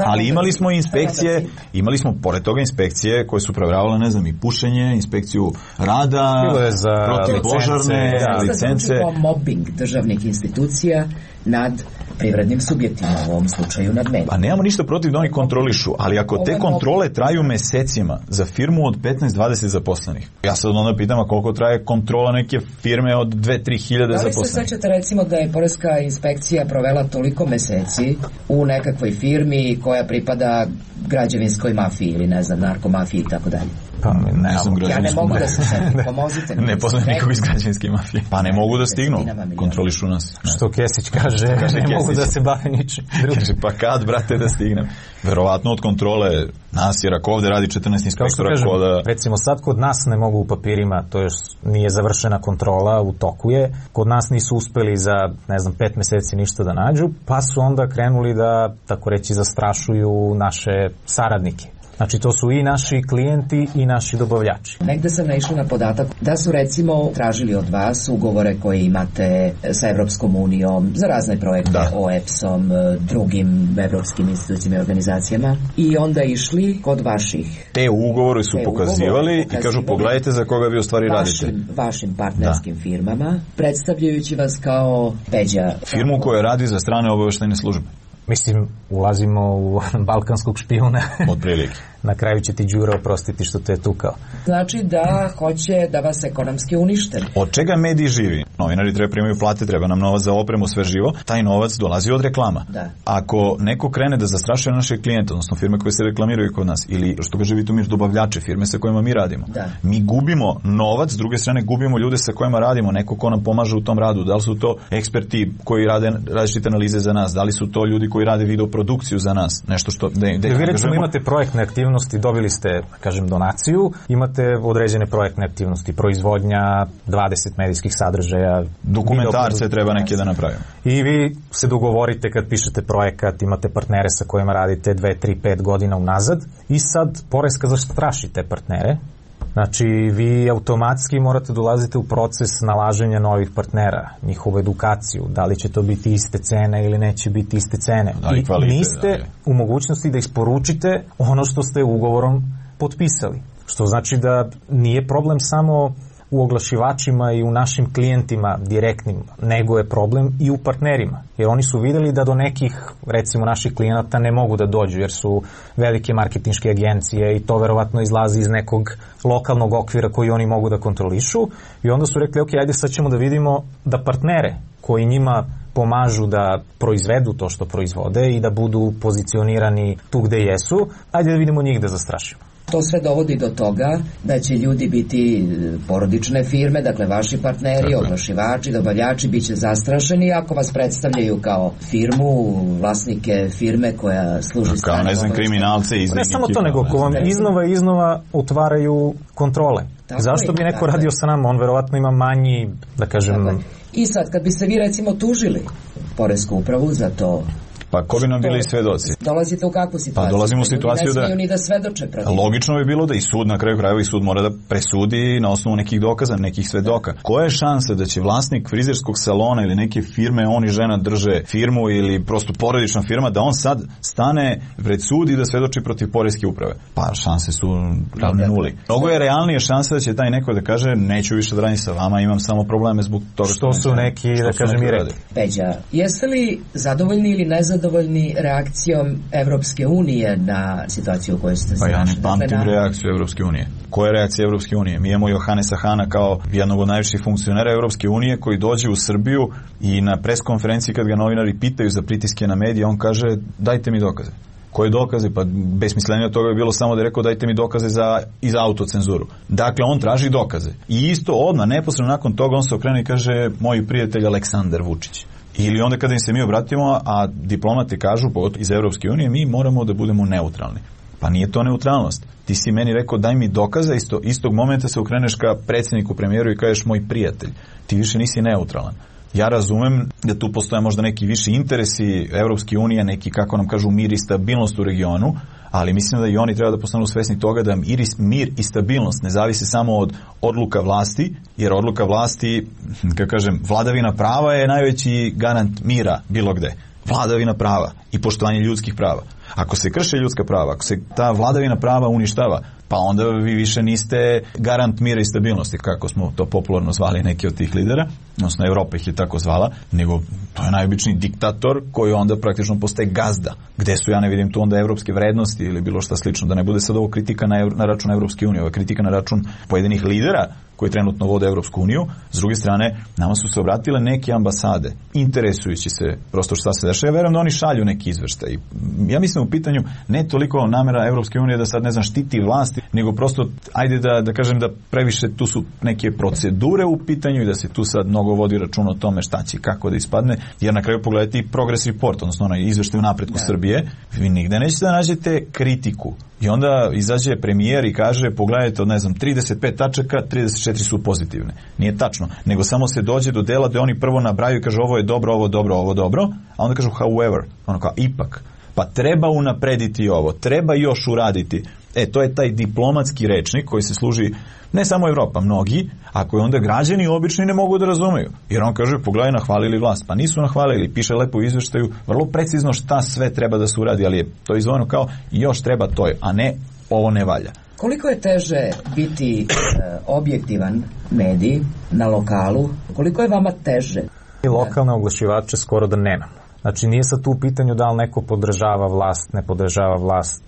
Ali imali smo inspekcije, imali smo pored toga inspekcije koje su provjeravale, ne znam, i pušenje, inspekciju rada, protivpožarne, licence. Mobbing državnih institucija nad privrednim subjektima, u ovom slučaju nad medijima. Pa nemamo ništa protiv da oni kontrolišu, ali ako te kontrole traju mesecima za firmu od 15-20 zaposlenih, ja sad onda pitam koliko traje kontrola neke firme od 2-3 hiljade zaposlenih. Da li se sećate recimo da je poreska inspekcija provela toliko meseci u nekakvoj firmi koja pripada građevinskoj mafiji ili ne znam, narkomafiji i tako dalje? Pa ne znam, ja ne mogu da se setim, pomozite mi. Ne poznam nikog iz građevinske mafije. Pa ne mogu da stignu, kontrolišu nas. Što Kesić kaže, ne mogu da se bave ničim. Pa kad, brate, da stignem? Verovatno od kontrole nas, jer ako ovde radi 14 inspektora koda... Recimo sad kod nas ne mogu u papirima, to još nije završena kontrola, u toku je. Kod nas nisu uspeli za, ne znam, 5 meseci ništa da nađu, pa su onda krenuli da, tako reći, zastrašuju naše saradnike. Znači to su i naši klijenti i naši dobavljači. Negde sam naišla na podatak da su recimo tražili od vas ugovore koje imate sa Evropskom unijom za razne projekte, OEPS-om, drugim evropskim institucijama i organizacijama i onda išli kod vaših. Te ugovore su pokazivali i kažu pogledajte za koga vi u stvari radite. Vašim partnerskim firmama, predstavljajući vas kao Peđa. Firmu koja radi za strane obaveštajne službe. Mislim, ulazimo u balkanskog špijuna. Od prilike. Na kraju će ti Đura oprostiti što te je tukao. Znači da hoće da vas ekonomski unište. Od čega mediji živi? Novinari treba primaju plate, treba nam novac za opremu, sve živo. Taj novac dolazi od reklama. Da. Ako neko krene da zastrašuje naše klijente, odnosno firme koje se reklamiraju kod nas, ili što kaže Vitomir, dobavljače, firme sa kojima mi radimo, mi gubimo novac, s druge strane gubimo ljude sa kojima radimo, neko ko nam pomaže u tom radu. Da li su to eksperti koji rade različite analize za nas, da li su to ljudi koji rade videoprodukciju za nas, nešto što... Vi recimo imate projektne aktivnosti, dobili ste, kažem, donaciju, imate određene projektne aktivnosti, proizvodnja 20 medijskih sadržaja, dokumentarce treba neke da napravimo. I vi se dogovorite kad pišete projekat, imate partnere sa kojima radite 2, 3, 5 godina unazad i sad poreska zastraši te partnere. Znači, vi automatski morate dolaziti u proces nalaženja novih partnera, njihovu edukaciju, da li će to biti iste cene ili neće biti iste cene. I niste u mogućnosti da isporučite ono što ste ugovorom potpisali. Što znači da nije problem samo u oglašivačima i u našim klijentima direktnim, nego je problem i u partnerima. Jer oni su videli da do nekih, recimo, naših klijenata ne mogu da dođu, jer su velike marketinške agencije i to verovatno izlazi iz nekog lokalnog okvira koji oni mogu da kontrolišu. I onda su rekli, ok, ajde sad ćemo da vidimo da partnere koji njima pomažu da proizvedu to što proizvode i da budu pozicionirani tu gde jesu, ajde da vidimo njih da zastrašimo. To sve dovodi do toga da će ljudi biti porodične firme, dakle vaši partneri, oglašivači, dobavljači bit će zastrašeni ako vas predstavljaju kao firmu, vlasnike firme koja služi strane. Kao, ne znam, kriminalce iz ne samo to, nego ko vam iznova otvaraju kontrole. Zašto bi neko radio sa nama? On verovatno ima manji, da kažem... I sad, kad bi se vi recimo tužili poresku upravu za to, Pa ko bi nam bili svedoci? Dolazite u kakvu situaciju? Pa dolazimo u situaciju da... Ne smiju ni da svedoče protiv. Logično bi bilo da i sud, na kraju krajeva i sud mora da presudi na osnovu nekih dokaza, nekih svedoka. Koja je šansa da će vlasnik frizerskog salona ili neke firme, on i žena drže firmu ili prosto porodična firma, da on sad stane pred sud i da svedoči protiv poreske uprave? Pa šanse su ravne nuli. Mnogo je realnije šansa da će taj neko da kaže neću više da radim sa vama, imam samo probleme zbog toga što su neki, da kažem, i rekli. Peđa, jeste li zadovoljni ili nezadovoljni reakcijom Evropske unije na situaciju u kojoj ste se našli? Pa ja ne pamtim reakciju Evropske unije. Koja je reakcija Evropske unije? Mi imamo Johanesa Hana kao jednog od najviših funkcionera Evropske unije koji dođe u Srbiju i na preskonferenciji kad ga novinari pitaju za pritiske na medije, on kaže dajte mi dokaze. Koje dokaze? Pa besmislenije od toga je bilo samo da je rekao dajte mi dokaze i za autocenzuru. Dakle, on traži dokaze. I isto odmah, neposredno nakon toga, on se okrene i kaže moj prijatelj Aleksandar Vučić. Ili onda kada im se mi obratimo, a diplomati kažu iz Evropske unije, mi moramo da budemo neutralni. Pa nije to neutralnost. Ti si meni rekao daj mi dokaze, istog momenta se okreneš ka predsjedniku, premijeru i kažeš moj prijatelj. Ti više nisi neutralan. Ja razumem da tu postoje možda neki viši interesi Evropske unije, neki, kako nam kažu, mir i stabilnost u regionu, ali mislim da i oni treba da postanu svesni toga da mir i stabilnost ne zavisi samo od odluka vlasti, jer odluka vlasti, kako kažem, vladavina prava je najveći garant mira bilo gde. Vladavina prava i poštovanje ljudskih prava. Ako se krše ljudska prava, ako se ta vladavina prava uništava, pa onda vi više niste garant mira i stabilnosti, kako smo to popularno zvali neki od tih lidera, odnosno Evropa ih je tako zvala, nego to je najobičniji diktator koji onda praktično postaje gazda. Gde su, ja ne vidim tu onda evropske vrednosti ili bilo šta slično, da ne bude sad ovo kritika na račun Evropske unije, ovo je kritika na račun pojedinih lidera koji trenutno vode Evropsku uniju. S druge strane, nama su se obratile neke ambasade, interesujući se prosto šta se dešava. Ja verujem da oni šalju neki izveštaj. Ja mislim u pitanju ne toliko namera Evropske unije da sad, ne znam, štiti vlasti, nego prosto, ajde da kažem da previše tu su neke procedure u pitanju i da se tu sad mnogo vodi račun o tome šta će kako da ispadne, jer na kraju pogledajte i Progress Report, odnosno onaj izveštaj u napretku Srbije, vi nigde nećete da nađete kritiku. I onda izađe premijer i kaže, pogledajte od, ne znam, 35 tačaka, 34 su pozitivne. Nije tačno, nego samo se dođe do dela da oni prvo nabraju i kaže ovo je dobro, ovo dobro, ovo dobro, a onda kažu however, ono kao ipak. Pa treba unaprediti ovo, treba još uraditi. To je taj diplomatski rečnik koji se služi ne samo Evropa, mnogi, a koji onda građani obični ne mogu da razumeju. Jer on kaže, pogledaj, nahvalili vlast. Pa nisu nahvalili, piše lepo u izveštaju, vrlo precizno šta sve treba da se uradi, ali je to izvojeno kao još treba to, a ne ovo ne valja. Koliko je teže biti objektivan medij na lokalu? Koliko je vama teže? I lokalne oglašivače skoro da nema. Znači nije sad tu u pitanju da li neko podržava vlast, ne podržava vlast.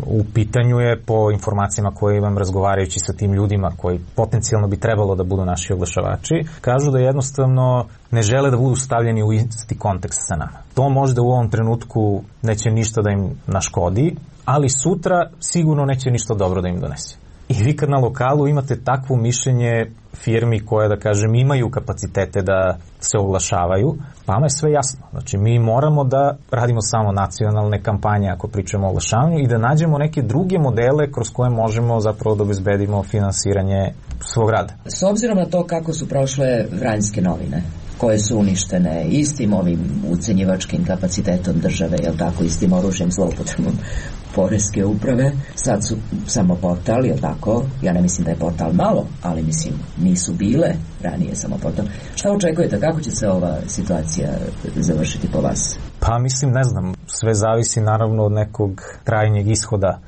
U pitanju je, po informacijama koje imam razgovarajući sa tim ljudima koji potencijalno bi trebalo da budu naši oglašavači, kažu da jednostavno ne žele da budu stavljeni u isti kontekst sa nama. To možda u ovom trenutku neće ništa da im naškodi, ali sutra sigurno neće ništa dobro da im donese. I vi kad na lokalu imate takvo mišljenje firmi koje, da kažem, imaju kapacitete da se oglašavaju, vama je sve jasno. Znači, mi moramo da radimo samo nacionalne kampanje ako pričamo o oglašavanju i da nađemo neke druge modele kroz koje možemo zapravo da obezbedimo finansiranje svog rada. S obzirom na to kako su prošle Vranjske novine, koje su uništene istim ovim ucenjivačkim kapacitetom države, jel tako, istim oružjem, zloupotrebom poreske uprave, sad su samo portal, jel tako, ja ne mislim da je portal malo, ali mislim nisu bile ranije samo portal. Šta očekujete, kako će se ova situacija završiti po vas? Pa mislim, ne znam, sve zavisi naravno od nekog krajnjeg ishoda.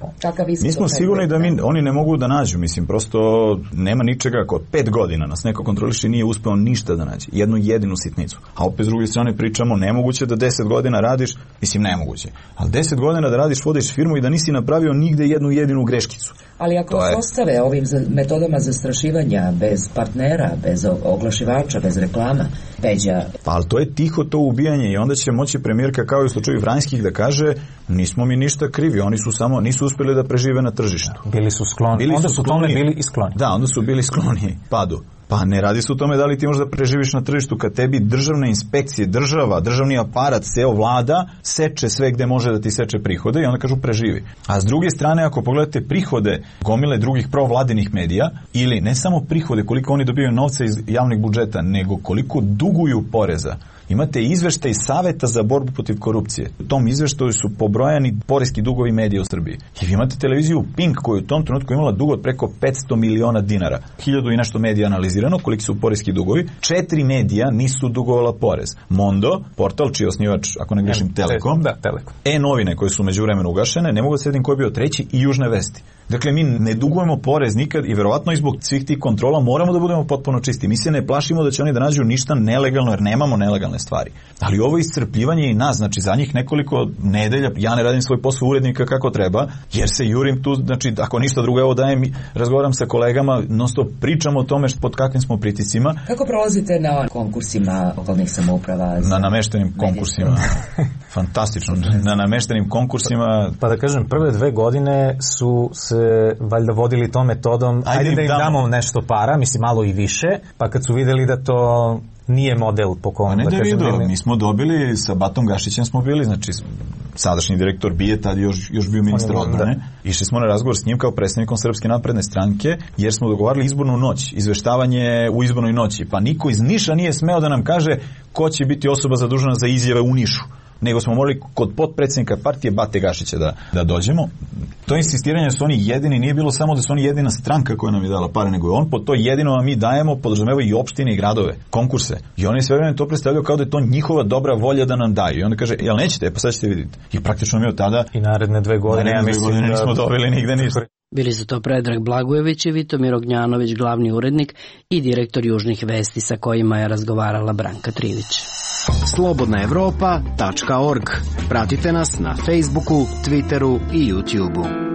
Mi smo sigurni da oni ne mogu da nađu, mislim, prosto nema ničega, ako 5 godina nas neko kontroliše, nije uspeo ništa da nađe, jednu jedinu sitnicu. A opet s druge strane pričamo, nemoguće da 10 godina radiš, mislim nemoguće, ali 10 godina da radiš, vodiš firmu i da nisi napravio nigde jednu jedinu greškicu. Ali ako vas ostave ovim metodama zastrašivanja, bez partnera, bez oglašivača, bez reklama, Peđa... Pa, ali to je tiho to ubijanje i onda će moći premijerka, kao i u slučaju Vranjskih, da kaže nismo mi ništa krivi, oni su samo, nisu uspjeli da prežive na tržištu. Bili su skloni. Onda su tome bili i skloni. Da, onda su bili skloni padu. Pa ne radi se o tome da li ti možeš da preživiš na tržištu kad tebi državne inspekcije, državni aparat, ceo vlada seče sve gde može da ti seče prihode i onda kažu preživi. A s druge strane, ako pogledate prihode gomile drugih provladinih medija, ili ne samo prihode koliko oni dobijaju novca iz javnih budžeta, nego koliko duguju poreza imate izveštaj Saveta za borbu protiv korupcije. U tom izveštaju su pobrojani poreski dugovi medija u Srbiji. I vi imate televiziju Pink koja je u tom trenutku imala dug od preko 500 miliona dinara. 1000 i nešto medija analizirano, koliki su poreski dugovi. 4 medija nisu dugovala porez. Mondo, portal čiji je osnivač, ako ne grešim, Telekom. Da, Telekom. E-novine koje su međuvremenu ugašene, ne mogu da sedim ko je bio treći, i Južne vesti. Dakle, mi ne dugujemo porez nikad i verovatno i zbog svih tih kontrola moramo da budemo potpuno čisti. Mi se ne plašimo da će oni da nađu ništa nelegalno, jer nemamo nelegalne stvari. Ali ovo iscrpljivanje i nas, znači za njih nekoliko nedelja, ja ne radim svoj posao urednika kako treba, jer se jurim tu, znači ako ništa drugo, evo dajem, razgovaram sa kolegama, non-stop pričamo o tome pod kakvim smo pritiscima. Kako prolazite na konkursima lokalnih samouprava? Na nameštenim konkursima. Fantastično. Na nameštenim konkursima. Pa da kažem, prve 2 godine su se valjda vodili tom metodom, ajde da im damo nešto para, mislim malo i više, pa kad su videli da to nije model po kom... Ne da vidio, mi smo dobili, sa Batom Gašićem smo bili, znači sadašnji direktor BIA, tad još bio ministar odbrane, išli smo na razgovor s njim kao predstavnikom Srpske napredne stranke, jer smo dogovarali izbornu noć, izveštavanje u izbornoj noći, pa niko iz Niša nije smeo da nam kaže ko će biti osoba zadužena za izjave u Nišu, nego smo morali kod potpredsjednika partije Bate Gašića da dođemo. To insistiranje su oni jedini, nije bilo samo da su oni jedina stranka koja nam je dala pare, nego je on po to jedino, a mi dajemo, podrazumeva i opštine i gradove, konkurse. I oni sve vreme to predstavljaju kao da je to njihova dobra volja da nam daju. I onda kaže, jel nećete? Pa sad ćete vidjeti. I praktično mi od tada... I naredne 2 godine, ja mislim da... nismo dobili nigde ništa. Bili su to Predrag Blagojević i Vitomir Ognjanović, glavni urednik i direktor Južnih vesti, sa kojima je razgovarala Branka Trivić. slobodnaevropa.org. Pratite nas na Facebooku, Twitteru i YouTubeu.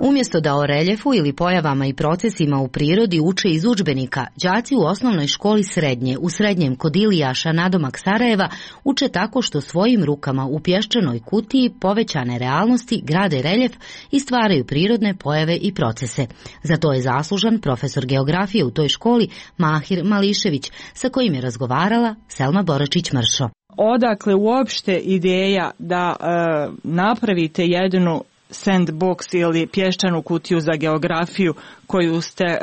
Umjesto da o reljefu ili pojavama i procesima u prirodi uče iz udžbenika, đaci u osnovnoj školi srednje, u srednjem kod Ilijaša nadomak Sarajeva, uče tako što svojim rukama u pješčanoj kutiji povećane realnosti grade reljef i stvaraju prirodne pojave i procese. Za to je zaslužan profesor geografije u toj školi Mahir Mališević, sa kojim je razgovarala Selma Boračić-Mršo. Odakle uopšte ideja da napravite jednu sandbox ili pješčanu kutiju za geografiju koju ste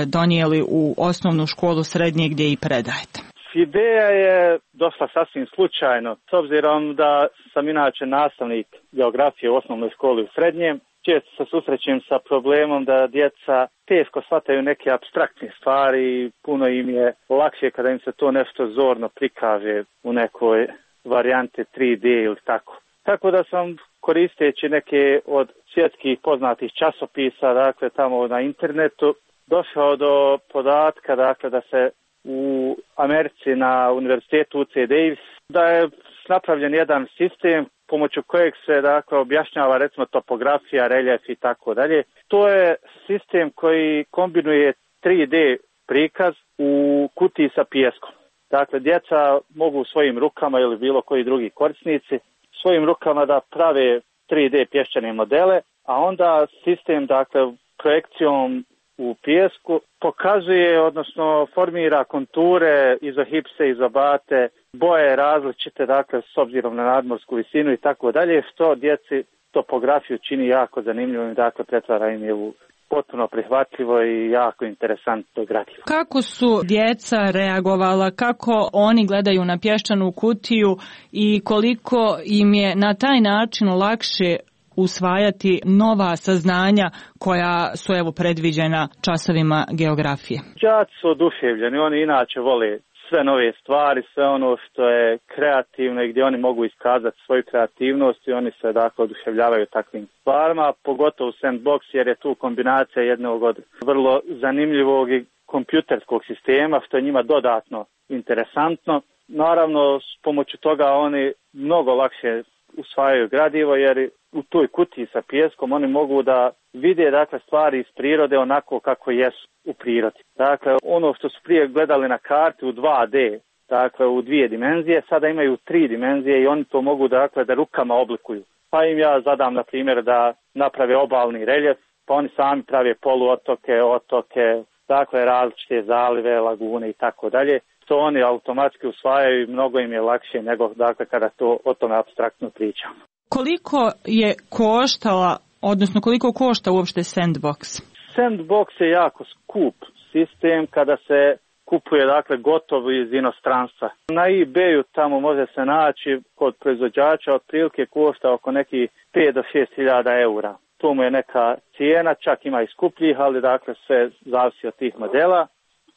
donijeli u osnovnu školu srednje gdje i predajete? Ideja je došla sasvim slučajno, s obzirom da sam inače nastavnik geografije u osnovnoj školi u srednjem. Često se susrećem sa problemom da djeca teško shvataju neke apstraktne stvari i puno im je lakše kada im se to nešto zorno prikaže u nekoj varijanti 3D ili tako. Tako da sam, koristeći neke od svjetskih poznatih časopisa, dakle tamo na internetu, došao do podatka, dakle da se u Americi na univerzitetu UC Davis, da je napravljen jedan sistem pomoću kojeg se dakle objašnjava recimo topografija, reljef i tako dalje. To je sistem koji kombinuje 3D prikaz u kutiji sa pijeskom. Dakle, djeca mogu svojim rukama ili bilo koji drugi korisnici svojim rukama da prave 3D pješčane modele, a onda sistem, dakle, projekcijom u pijesku pokazuje, odnosno formira konture, izohipse, izobate, boje različite, dakle, s obzirom na nadmorsku visinu i tako dalje, što djeci topografiju čini jako zanimljivom i dakle pretvara im je u potpuno prihvatljivo i jako interesantno gradivo. Kako su djeca reagovala, kako oni gledaju na pješčanu kutiju i koliko im je na taj način lakše usvajati nova saznanja koja su evo predviđena časovima geografije? Đaci su oduševljeni, oni inače vole sve nove stvari, sve ono što je kreativno i gdje oni mogu iskazati svoju kreativnost i oni se dakle oduševljavaju takvim stvarima, pogotovo Sandbox jer je tu kombinacija jednog od vrlo zanimljivog i kompjuterskog sistema što je njima dodatno interesantno. Naravno, s pomoću toga oni mnogo lakše usvajaju gradivo jer u toj kutiji sa pijeskom oni mogu da vide dakle stvari iz prirode onako kako jesu u prirodi. Dakle, ono što su prije gledali na karti u 2D, dakle u 2 dimenzije, sada imaju 3 dimenzije i oni to mogu dakle da rukama oblikuju. Pa im ja zadam na primjer da naprave obalni reljef, pa oni sami prave poluotoke, otoke, dakle različite zalive, lagune i tako dalje. To oni automatski usvajaju i mnogo im je lakše nego dakle kada to o tome apstraktno pričamo. Koliko je koštala, odnosno koliko košta uopšte Sandbox? Sandbox je jako skup sistem kada se kupuje dakle gotovo iz inostranstva. Na eBayu tamo može se naći kod proizvođača otprilike košta oko nekih 5 do 6 hiljada eura. To mu je neka cijena, čak ima i skupljih, ali dakle sve zavisi od tih modela.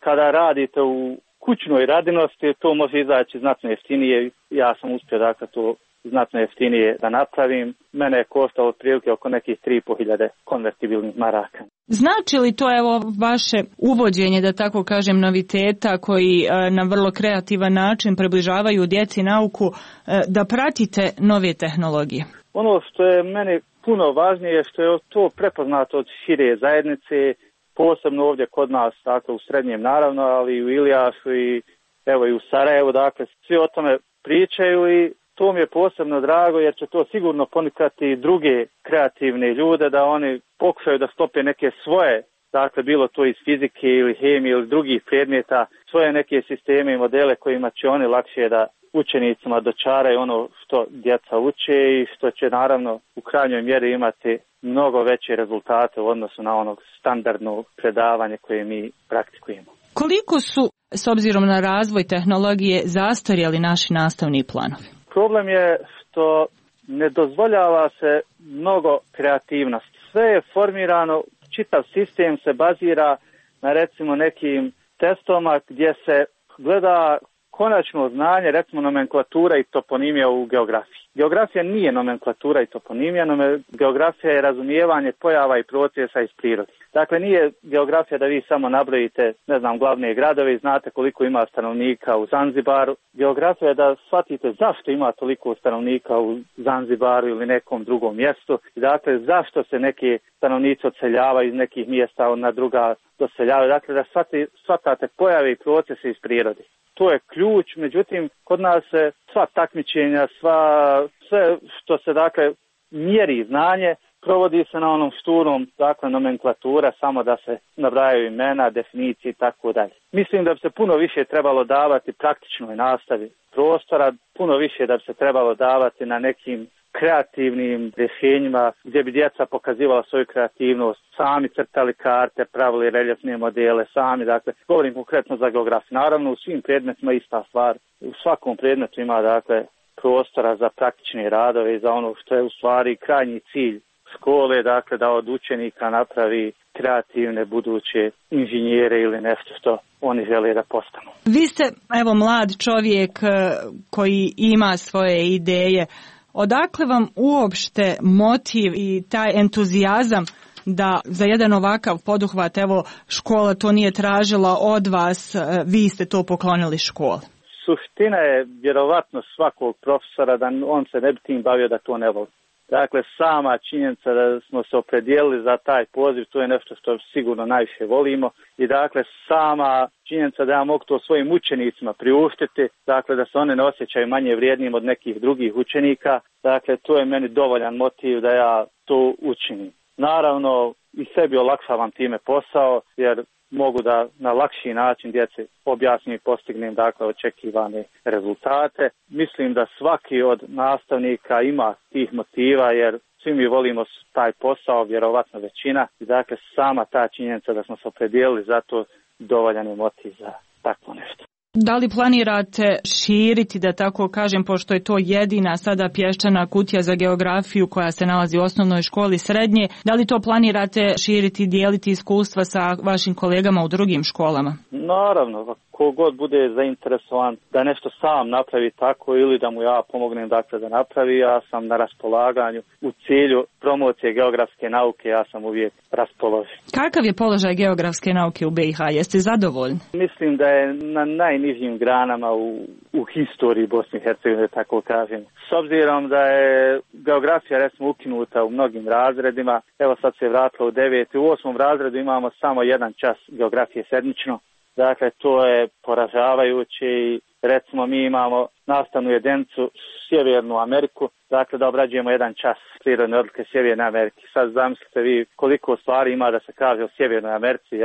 Kada radite u kućnoj radinosti, to može izaći znatno jeftinije. Ja sam uspio dakle to znatno jeftinije da napravim. Mene je koštalo otprilike oko nekih 3.500 konvertibilnih maraka. Znači li to evo vaše uvođenje, da tako kažem, noviteta koji na vrlo kreativan način približavaju djeci nauku, da pratite nove tehnologije? Ono što je meni puno važnije je što je to prepoznato od šire zajednice, posebno ovdje kod nas, dakle u Srednjem naravno, ali i u Ilijašu i evo i u Sarajevu, dakle svi o tome pričaju i to mi je posebno drago jer će to sigurno ponukati druge kreativne ljude da oni pokušaju da stope neke svoje, dakle bilo to iz fizike ili hemije ili drugih predmeta, svoje neke sisteme i modele kojima će oni lakše da učenicima dočaraju ono što djeca uče i što će naravno u krajnjoj mjeri imati mnogo veće rezultate u odnosu na onog standardno predavanje koje mi praktikujemo. Koliko su, s obzirom na razvoj tehnologije, zastarjeli naši nastavni planovi? Problem je što ne dozvoljava se mnogo kreativnosti. Sve je formirano, čitav sistem se bazira na recimo nekim testovima gdje se gleda konačno znanje, recimo nomenklatura i toponimija u geografiji. Geografija nije nomenklatura i toponimija, geografija je razumijevanje pojava i procesa iz prirode. Dakle, nije geografija da vi samo nabrojite, glavne gradove i znate koliko ima stanovnika u Zanzibaru. Geografija je da shvatite zašto ima toliko stanovnika u Zanzibaru ili nekom drugom mjestu. Dakle, zašto se neki stanovnici odseljavaju iz nekih mjesta na druga doseljavaju. Dakle, da shvatate pojave i procese iz prirode. To je ključ, međutim, kod nas se sva takmičenja, sve što se dakle mjeri znanje, provodi se na onom šturom, dakle nomenklatura, samo da se nabrajaju imena, definicije i tako dalje. Mislim da bi se puno više trebalo davati praktičnoj nastavi prostora, puno više da bi se trebalo davati na nekim kreativnim rješenjima gdje bi djeca pokazivala svoju kreativnost, sami crtali karte, pravili reljefne modele, sami, dakle, govorim konkretno za geografiju. Naravno, u svim predmetima ista stvar. U svakom predmetu ima, dakle, prostora za praktične radove i za ono što je u stvari krajnji cilj škole, dakle, da od učenika napravi kreativne buduće inženjere ili nešto što oni žele da postanu. Vi ste, evo, mlad čovjek koji ima svoje ideje. Odakle vam uopšte motiv i taj entuzijazam da za jedan ovakav poduhvat, evo, škola to nije tražila od vas, vi ste to poklonili školi? Suština je vjerovatno svakog profesora da on se ne bi tim bavio da to ne voli. Dakle, sama činjenica da smo se opredijelili za taj poziv, to je nešto što sigurno najviše volimo i dakle sama činjenica da ja mogu to svojim učenicima priuštiti, dakle da se one ne osjećaju manje vrijednim od nekih drugih učenika, dakle to je meni dovoljan motiv da ja to učinim. Naravno i sebi olakšavam time posao jer mogu da na lakši način djeci objasnim i postignem dakle očekivane rezultate. Mislim da svaki od nastavnika ima tih motiva jer svi mi volimo taj posao, vjerovatno većina. I dakle sama ta činjenica da smo se opredijelili za to dovoljan je motiv za takvo nešto. Da li planirate širiti, da tako kažem, pošto je to jedina sada pješčana kutija za geografiju koja se nalazi u osnovnoj školi srednje, da li to planirate širiti, dijeliti iskustva sa vašim kolegama u drugim školama? Naravno, kogod bude zainteresovan da nešto sam napravi tako ili da mu ja pomognem dakle da napravi, ja sam na raspolaganju u cilju promocije geografske nauke, ja sam uvijek raspoložen. Kakav je položaj geografske nauke u BiH? Jeste zadovoljni? Mislim da je na najnižim granama u historiji Bosne i Hercegovine, tako kažem. S obzirom da je geografija recimo ukinuta u mnogim razredima, evo sad se je vratila u 9. U 8. razredu imamo samo jedan čas geografije sedmično. Dakle, to je poražavajuće i recimo mi imamo nastavnu jedinicu Sjevernu Ameriku, dakle da obrađujemo jedan čas prirodne odlike Sjeverne Amerike. Sad zamislite vi koliko stvari ima da se kaže o Sjevernoj Americi,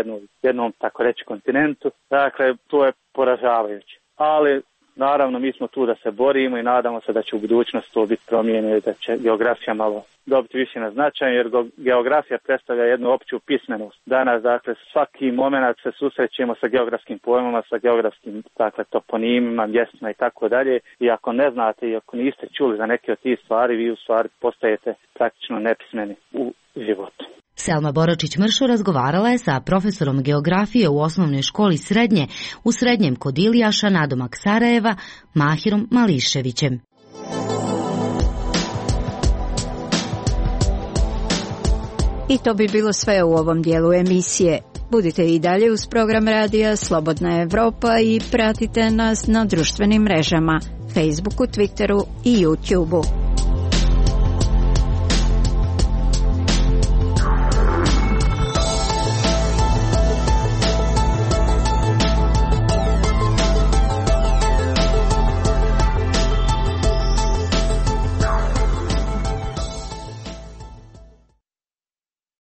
jednom tako reći kontinentu, dakle to je poražavajuće. Ali Naravno, mi smo tu da se borimo i nadamo se da će u budućnosti to biti promijenjeno i da će geografija malo dobiti više na značaju, jer geografija predstavlja jednu opću pismenost. Danas, dakle, svaki moment se susrećemo sa geografskim pojmama, sa geografskim, dakle, toponimima, mjestima i tako dalje. I ako ne znate i ako niste čuli za neke od tih stvari, vi u stvari postajete praktično nepismeni u životu. Selma Boračić-Mršo razgovarala je sa profesorom geografije u osnovnoj školi srednje u Srednjem kod Ilijaša nadomak Sarajeva, Mahirom Mališevićem. I to bi bilo sve u ovom dijelu emisije. Budite i dalje uz program radija Slobodna Evropa i pratite nas na društvenim mrežama, Facebooku, Twitteru i YouTubeu.